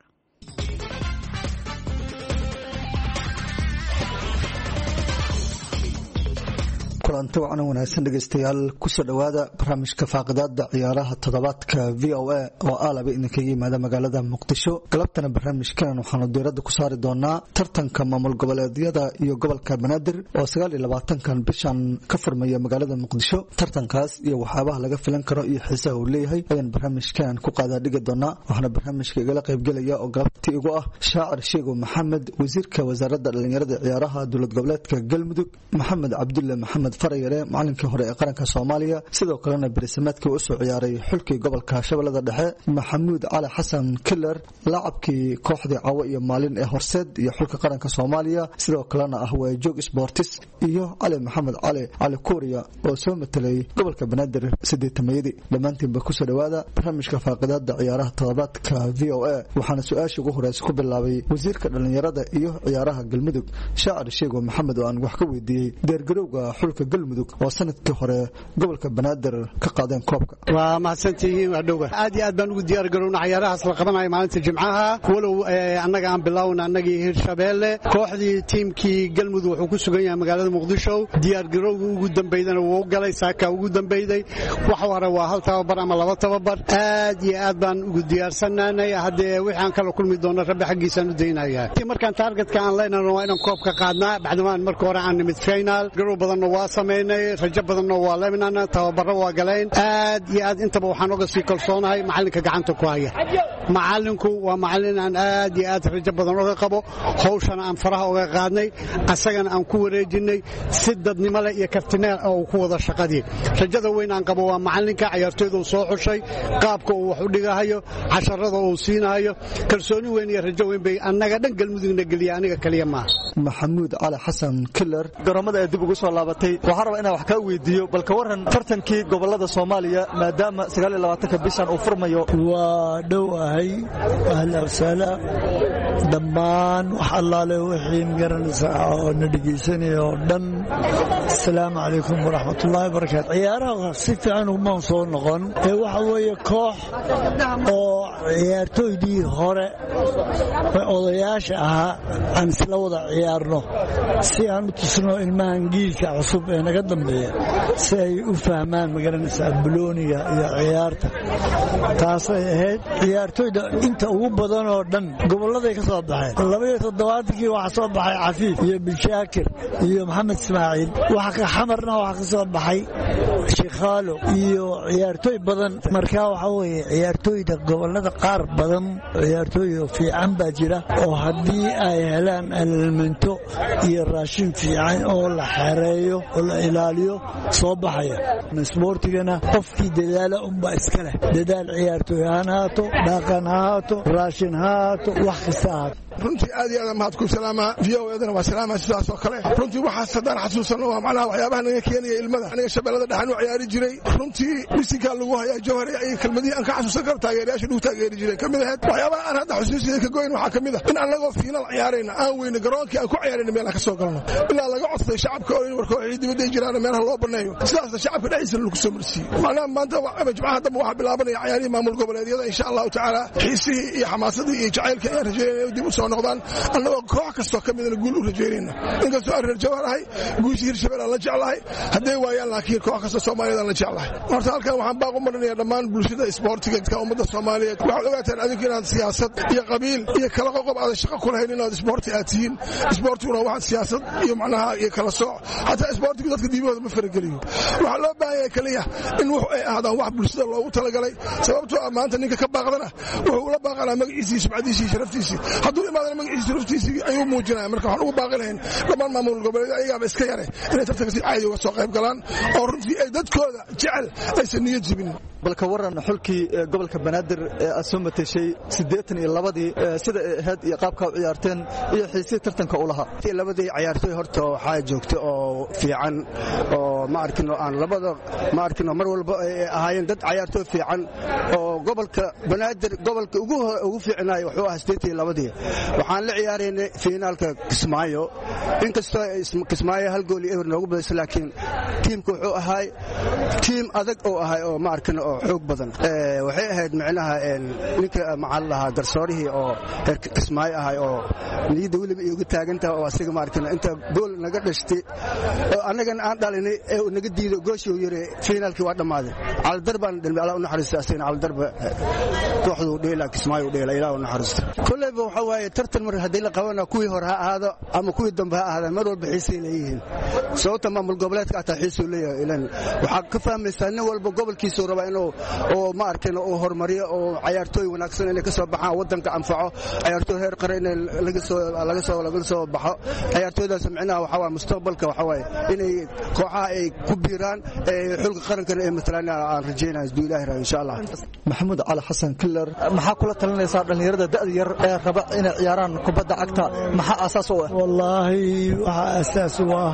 [SPEAKER 18] Kulanti wacan wanaagsan dhegeystayaal, kusoo dhowaada barnaamijka faaqidaada ciyaaraha toddobaadka V O A oo aalaba idinkaga yimaada magaalada Muqdisho. Galabtana barnaamijkan waxaanu diiradda ku saari doonaa tartanka maamul goboleedyada iyo gobolka Banaadir oo sagaal iyo labaatankan bishan ka furmaya magaalada Muqdisho. Tartankaas iyo waxyaabaha laga filan karo iyo xiisaha uu leeyahay ayaan barnaamijkan ku qaadaa dhigi doonaa. Waxaana barnaamijka igala qaybgelaya oo galabtii igu ah Shaacir Sheego Maxamed, wasiirka wasaaradda dhalinyarada ciyaaraha dowlad goboleedka Galmudug, Maxamed Cabdulle Maxamed Farayare, macalinkii hore ee qaranka Soomaaliya, sidoo kalena berisameedkii u soo ciyaaray xulkii gobolka Shabeellada Dhexe, Maxamuud Cali Xasan Killer, laacabkii kooxdii Cawo iyo Maalin ee Horseed iyo xulka qaranka Soomaaliya, sidoo kalena ah waajoog sportis, iyo Cali Maxamed Cali Cali Kuuriya oo soo matelay gobolka Banaadir sideetamayadii. Dhammaantiinba kusoo dhowaada barnaamijka faaqidaada ciyaaraha toddobaadka V O A. Waxaana su-aasha ugu horeysa ku bilaabay wasiirka dhalinyarada iyo ciyaaraha Galmudug, Shaacir Sheego Maxamed, oo aan wax ka weydiiyey diyaargarowga xulka Galmudug oo sanadkii hore gobolka Banaadir ka qaadeen koobka.
[SPEAKER 8] Waa mahadsantihiin, waa dhowga. Aad iyo aad baan ugu diyaar garowna cayaarahaas la qabanayo maalinta Jimcaha. Walow annaga aan bilowna annagii Hirshabeelle, kooxdii tiimkii Galmudug wuxuu ku sugan yahay magaalada Muqdisho. Diyaar garowga ugu dambeydana wuu galay, saaka ugu dambeyday. Wax hore waa hal tababar ama laba tababar. Aad iyo aad baan ugu diyaarsanaanay. Haddee wixii aan kala kulmi doono Rabbi xaggiisaan u daynayaa. Markaan taargetka aan leenahno waa inaan koobka qaadnaa, bacdamaan marka hore aan nimid final. Garow badanna waa samaynay, rajo badanna waa leminana, tababaro waa galeen. Aad iyo aad intaba waxaan oga sii kalsoonahay macalinka gacanta ku haya. Macalinku waa macalin aan aad iyo aad rajo badan oga qabo, hawshana aan faraha oga qaadnay, asagana aan ku wareejinay si dadnimo leh iyo kartineel oo uu ku wada shaqadii. Rajada weyn aan qabo waa macalinka cayaartooyda uu soo xushay, qaabka uu wax u dhigahayo, casharada uu siinahayo. Kalsooni weyn iyo rajo weyn bay annaga dhan Galmudugna geliya, aniga kaliya maaha.
[SPEAKER 18] Maxamuud Cali Xasan Killer,
[SPEAKER 19] garoomada ay dib ugu soo laabatay, waxaan rabaa inaan wax kaa weydiiyo bal ka waran tartankii gobolada Soomaaliya maadaama sagaal iyo labaatanka bishan uu furmayo.
[SPEAKER 20] Waa dhow ahay, ahlan wasahla dhammaan wax allaale wixii magaranaysa oo na dhegeysanaya oo dhan. Asalaamu calaykum waraxmatullaahi wabarakaatu. Ciyaaraha si fiican umaan soo noqon ee waxa weeye koox oo ciyaartooydii hore ee odayaasha ahaa aan isla wada ciyaarno si aan u tusno ilmahan giilka cusub ee naga dambeeya si ay u fahmaan magaranaysaa bulooniga iyo ciyaarta. Taasay ahayd ciyaartooyda inta ugu badan oo dhan gobolladay ka soo baxeen. Labaiyo toddobaatankii waxaa soo baxay Cafiif iyo Bilshaakir iyo Maxamed Ismaaciil. Waxa ka Xamarna waxaa ka soo baxay Shikhaalo iyo ciyaartooy badan. Markaa waxaa weeye ciyaartooyda gobollada qaar badan ciyaartooy fiican baa jira oo haddii ay helaan alminto iyo raashin fiican oo la xereeyo oo la ilaaliyo soo baxaya. Isboortigana qofkii dadaala unbaa iska leh. Dadaal ciyaartooy ha ahaato, dhaqan ha ahaato, raashin ha ahaato, wax kasta ahaato.
[SPEAKER 21] Runtii aad iyo aad mahad ku salaamaa, V O A-dana waa salaama sidaas oo kale. Runtii waxaas haddaan xasuusano waa macnaha waxyaabaha naga keenaya ilmada. Aniga Shabeellada dhexan u ciyaari jiray. Runtii bisinkaa lagu hayaa Jawhar iyo kelmadihii aan ka xasuusan karo taageerayaasha lagu taageeri jiray ka mid ahayd. Waxyaabaha aan hadda xusuusiyada ka goyn waxaa ka mid ah in annagoo fiinal ciyaarayna aan weyno garoonkii aan ku ciyaarayna meel aan ka soo galno ilaa laga codsaday shacabka oo in war kooxihii dibadda ay jiraan meelaha loo banneeyo, sidaasna shacabka dhexdiisa lagu soo marsiiyey. Macnaha maanta Jimcaha dambe waxaa bilaabanaya ciyaarihii maamul goboleedyada insha Allahu tacaala. Xiisihii iyo xamaasadii iyo jacaylka ayaan rajaynaya dib u soo soo noqdaan, annagoo koox kastoo ka midana guul u rajaynayna. Inkastoo aan reer Jawhar ahay, guushii Hirshabelle aan la jeclahay hadday waayaan, laakiin koox kastoo Soomaaliyeed aan la jeclahay. Horta halkan waxaan baaq u marinayaa dhammaan bulshada isboortiga ummadda Soomaaliyeed. Waxaad ogaataan adinku inaad siyaasad iyo qabiil iyo kala qoqob aadan shaqo ku lahayn, inaad isboorti aad tihiin. Isboortiguna waxaad siyaasad iyo macnaha iyo kala sooc, xataa isboortigu dadka diibahooda ma farageliyo. Waxaa loo baahan yahay kaliya in wuxu ay ahaadaan wax bulshada loogu talagalay, sababtoo ah maanta ninka ka baaqdana wuxuu ula baaqanaa magaciisii, sumcadiisii iyo sharaftiisii. Hadduu imaadana magaciisii sharaftiisii ayuu muujinaya. Marka waxaan ugu baaqi lahayn dhammaan maamul goboleed ayagaaba iska yare inay tartanka si caadi uga soo qayb galaan oo runtii ay dadkooda jecel aysan niyad jibin.
[SPEAKER 19] Balka waran xulkii gobolka Banaadir ee aad soo mateshay siddeetan iyo labadii, sida ay ahayd iyo qaabka u ciyaarteen iyo xiisii tartanka u lahaa?
[SPEAKER 4] Labadii ciyaartoy horta waxaa joogta oo fiican oo ma arkin aan labada ma arkin mar walba ay ahaayeen dad ciyaartoy fiican oo gobolka Banaadir gobolka ugu ugu fiicnaay wuxuu ahaa siddeetan iyo labadii. Waxaan la ciyaaraynay finaalka Kismaayo, inkastoo Kismaayo hal gool iyo eber noogu badisay, laakiin tiimka wuxuu ahaay tiim adag oo ahay oo ma arkin oo xoog badan. Waxay ahayd micnaha ninka maxaa lahaa garsoorihii oo reer Kismaayo ahay oo niyadda weliba iigu taagantaha oo asiga ma arkin inta gool naga dhashtay oo annagana aan dhalinay ee uu naga diido gooshii uu yiri finaalkii waa dhammaaday. Calidar baan dhalmay, Allah u naxariisto asagana. Calidarba kooxdu u dheela Kismaayo u dheela, Ilaah u naxariisto. Kolleyba waxa waaye tartan mar haddii la qabana, kuwii hore ha ahaado ama kuwii dambe ha ahaadaan, mar walba xiisay leeyihiin, sababta maamul goboleedka ataa xiisuu leeyahay. Ilan waxaa ka fahmaysaa nin walba gobolkiisuu rabaa inuu oo ma arkin uu horumariyo oo cayaartooy wanaagsan inay ka soo baxaan waddanka anfaco, cayaartooy heer qare inay laga soo laga soo laga soo baxo. Cayaartooydaas micnaha waxa waaye mustaqbalka waxa waaye inay kooxaha ay ku biiraan ee xulka qarankana ay matalaan aan rajaynaya hadduu Ilaahi raayo insha Allah.
[SPEAKER 19] Maxamuud Cali Xasan Killer, maxaa kula talinaysaa dhallinyarada da'da yar ee raba inay ciyaaraan kubadda cagta? Maxaa aasaas u ah?
[SPEAKER 20] Wallaahi waxaa aasaas u ah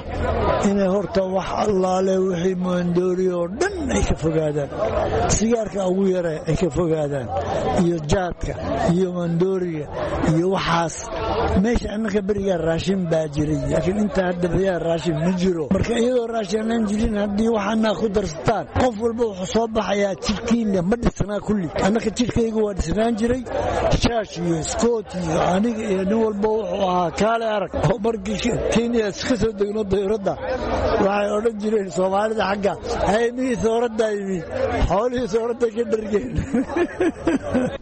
[SPEAKER 20] inay horta wax allaale wixii moondoori oo dhan ay ka fogaadaan, sigaarka ugu yare ay ka fogaadaan, iyo jaadka iyo moondooriga iyo waxaas. Meesha annaka berigaa raashin baa jiray, laakiin inta hadda berigaa raashin ma jiro. Marka iyadoo raashin aanan jirin haddii waxaanaa ku darsataan, qof walba wuxuu soo baxayaa jidhkiina ma dhisnaa kulli. Annaka jidhkaygu waa dhisnaan jiray, shaash iyo iskoot iyo aniga iyo nin walba wuxuu ahaa kaale arag. Oo markii Kenya iska soo degno dayuradda waxay odhan jireen Soomaalida xagga haymihii sooradda yimi, xoolihii sooradda ka dhargeen.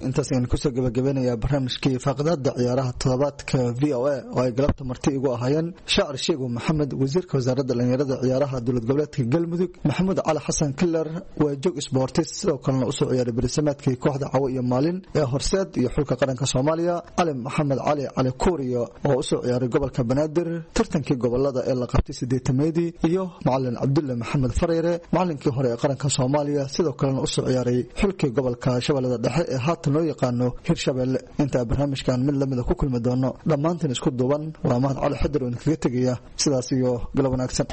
[SPEAKER 18] Intaas ayaan kusoo gabagabeynayaa barnaamijkii faaqidaada ciyaaraha toddobaadka V O A oo ay galabta marti igu ahaayeen Shaacir Sheego Maxamed, wasiirka wasaaradda dhalinyarada ciyaaraha dowlad goboleedka Galmudug, Maxamuud Cali Xasan Killer waa joog isboortis sidoo kalena usoo ciyaaray berisamaadkii kooxda Cawo iyo Maalin ee Horseed iyo xulka qaranka Soomaaliya, Cali Maxamed Cali Cali Kuuriyo oo usoo ciyaaray gobolka Banaadir tartankii gobolada ee la qabtay sideetameedii, iyo macalin Cabdulle Maxamed Fareyre, macalinkii hore ee qaranka Soomaaliya sidoo kalena usoo ciyaaray xulkii gobolka Shabeellada Dhexe ee haatan loo yaqaano Hirshabelle. Intaa barnaamijkan mid lamida ku kulmi doono, dhammaantiin isku duuban waa Mahad Cali Xadir oo idinkaga tegaya sidaas iyo galab wanaagsan.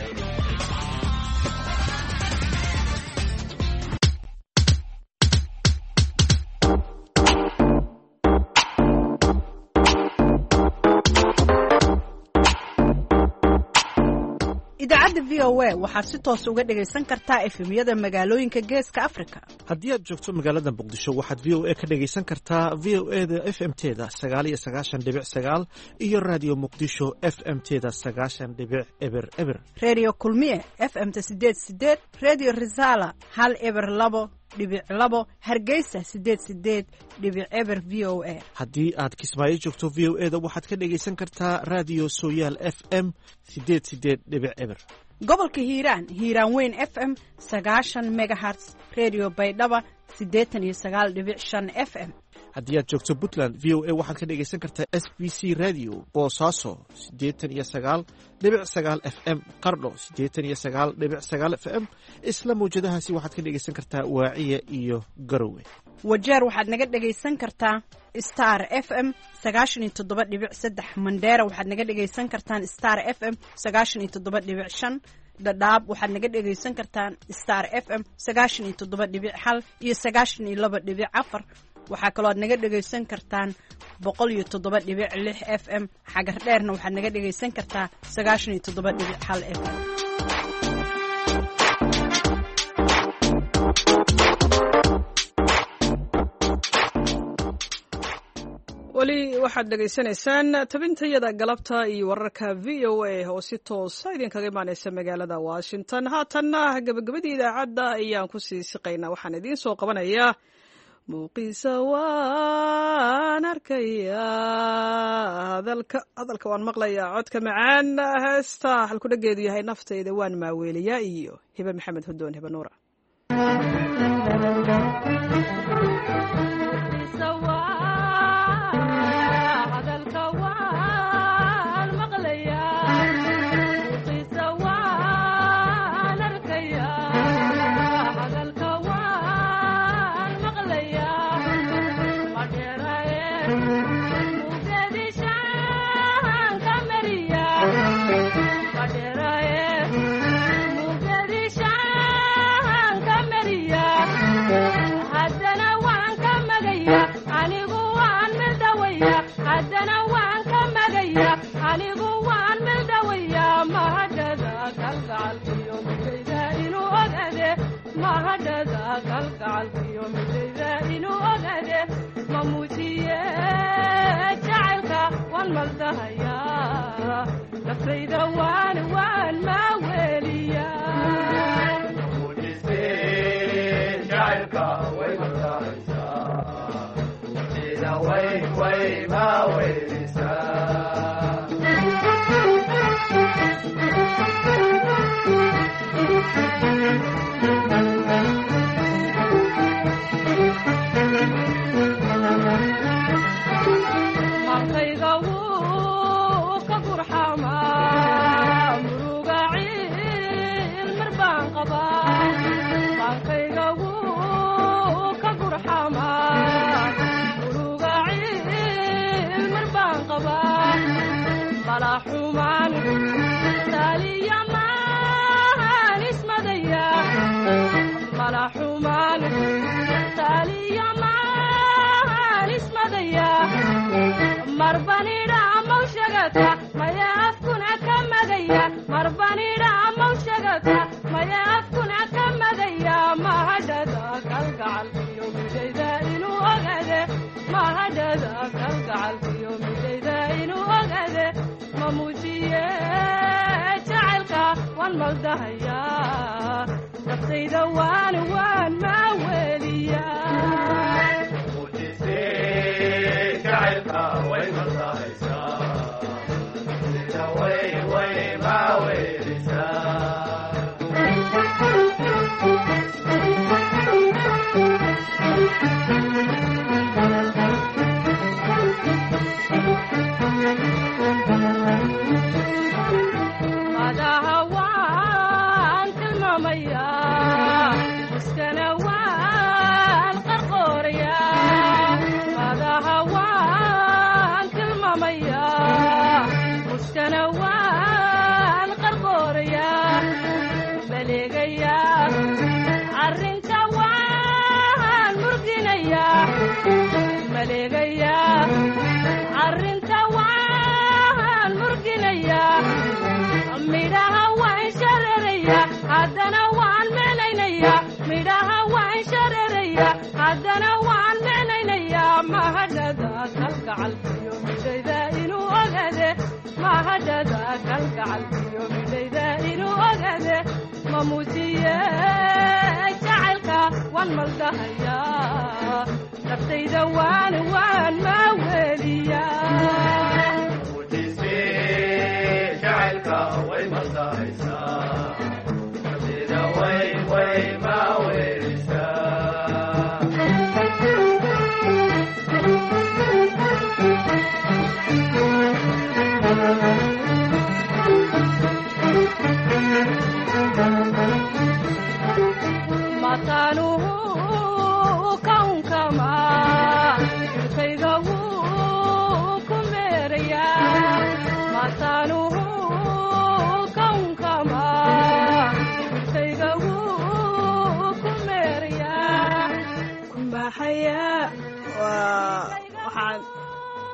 [SPEAKER 22] Idaacadda V O A waxaad si toos uga dhagaysan kartaa efemyada magaalooyinka Geeska Afrika.
[SPEAKER 23] Haddii aad joogto magaalada Muqdisho, waxaad V O A ka dhagaysan kartaa V O E da F M teda sagaal iyo sagaashan dhibic sagaal iyo Raadiyo Muqdisho F M teda sagaashan dhibic eber eber.
[SPEAKER 22] Reediyo Kulmiye F M ta sideed sideed, Reediyo Risaala hal eber labo dhibic labo, Hargeysa sideed sideed dhibic eber V O A.
[SPEAKER 23] Haddii aad Kismaayo joogto, V O E da waxaad ka dhagaysan kartaa Raadiyo Sooyaal F M sideed sideed dhibic eber.
[SPEAKER 22] Gobolka Hiiraan, Hiiraan Weyn F M sagaashan megahertz, Reediyo Baydhaba siddeetan iyo sagaal dhibic shan F M.
[SPEAKER 23] Haddii aad joogto Puntland, V O A waxaad ka dhagaysan kartaa S B C Radio Boosaaso siddeetan iyo sagaal dhibic sagaal F M, Qardho siddeetan iyo sagaal dhibic sagaal F M. Isla mawjadahaasi waxaad ka dhagaysan kartaa Waaciya iyo Garowe.
[SPEAKER 22] Wajeer waxaad naga dhagaysan kartaa Star F M sagaashan iyo toddoba dhibic saddex. Mandheera waxaad naga dhagaysan kartaan Star F M sagaashan iyo toddoba dhibic shan. Dhadhaab waxaad naga dhagaysan kartaan Star F M sagaashan iyo toddoba dhibic hal iyo sagaashan iyo laba dhibic afar. Waxaa kaloo aad naga dhagaysan kartaan boqol iyo toddoba dhibic lix F M. Xagar Dheerna waxaad naga dhagaysan kartaa sagaashan iyo toddoba dhibic hal F M.
[SPEAKER 1] Weli waxaad dhegaysanaysaan tabintayada galabta iyo wararka V O A oo si toosa idinkaga imaaneysa magaalada Washington. Haatanna gabagabadii idaacadda ayaan kusii siqaynaa. Waxaan idiin soo qabanayaa muuqiisa waan arkayaa, hadalka hadalka waan maqlayaa, codka macaan, heesta halkudhageedu yahay naftayda waan maaweeliyaa iyo Hibe Maxamed Hudoon, Hibe Nuura.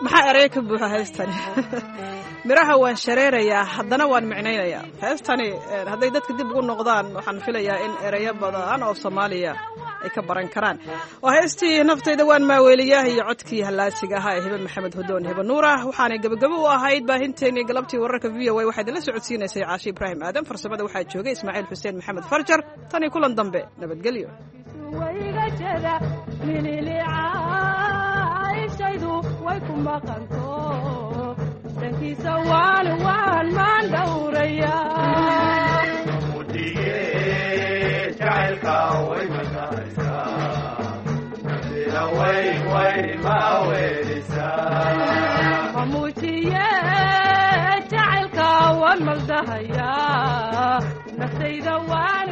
[SPEAKER 1] Maxaa erey ka buuxa heestani? Miraha waan shareerayaa, haddana waan micnaynayaa. Heestani hadday dadka dib ugu noqdaan, waxaan filayaa in ereyo badan oo Soomaaliya ay ka baran karaan. Waa heestii Naftayda Waan Maaweeliya iyo codkii hallaasiga ahaa ee Hibe Maxamed Hudoon, Hibe Nuurah. Waxaanay gebagabo u ahayd baahinteennii galabtii wararka V O A. Waxaa idinla socodsiinaysay Caashi Ibraahim Aadan, farsamada waxaa joogay Ismaaciil Xuseen Maxamed Farjar. Tan iyo kulan dambe, nabadgelyo.
[SPEAKER 3] Way ku maqanto dhankiisa, waan waan maan dhowraya.
[SPEAKER 6] Jacaylka way matahaysaa, nafsina way way ma weelisaa.
[SPEAKER 3] Mamuujiye jacaylka waan maldahayaa, naftayda waan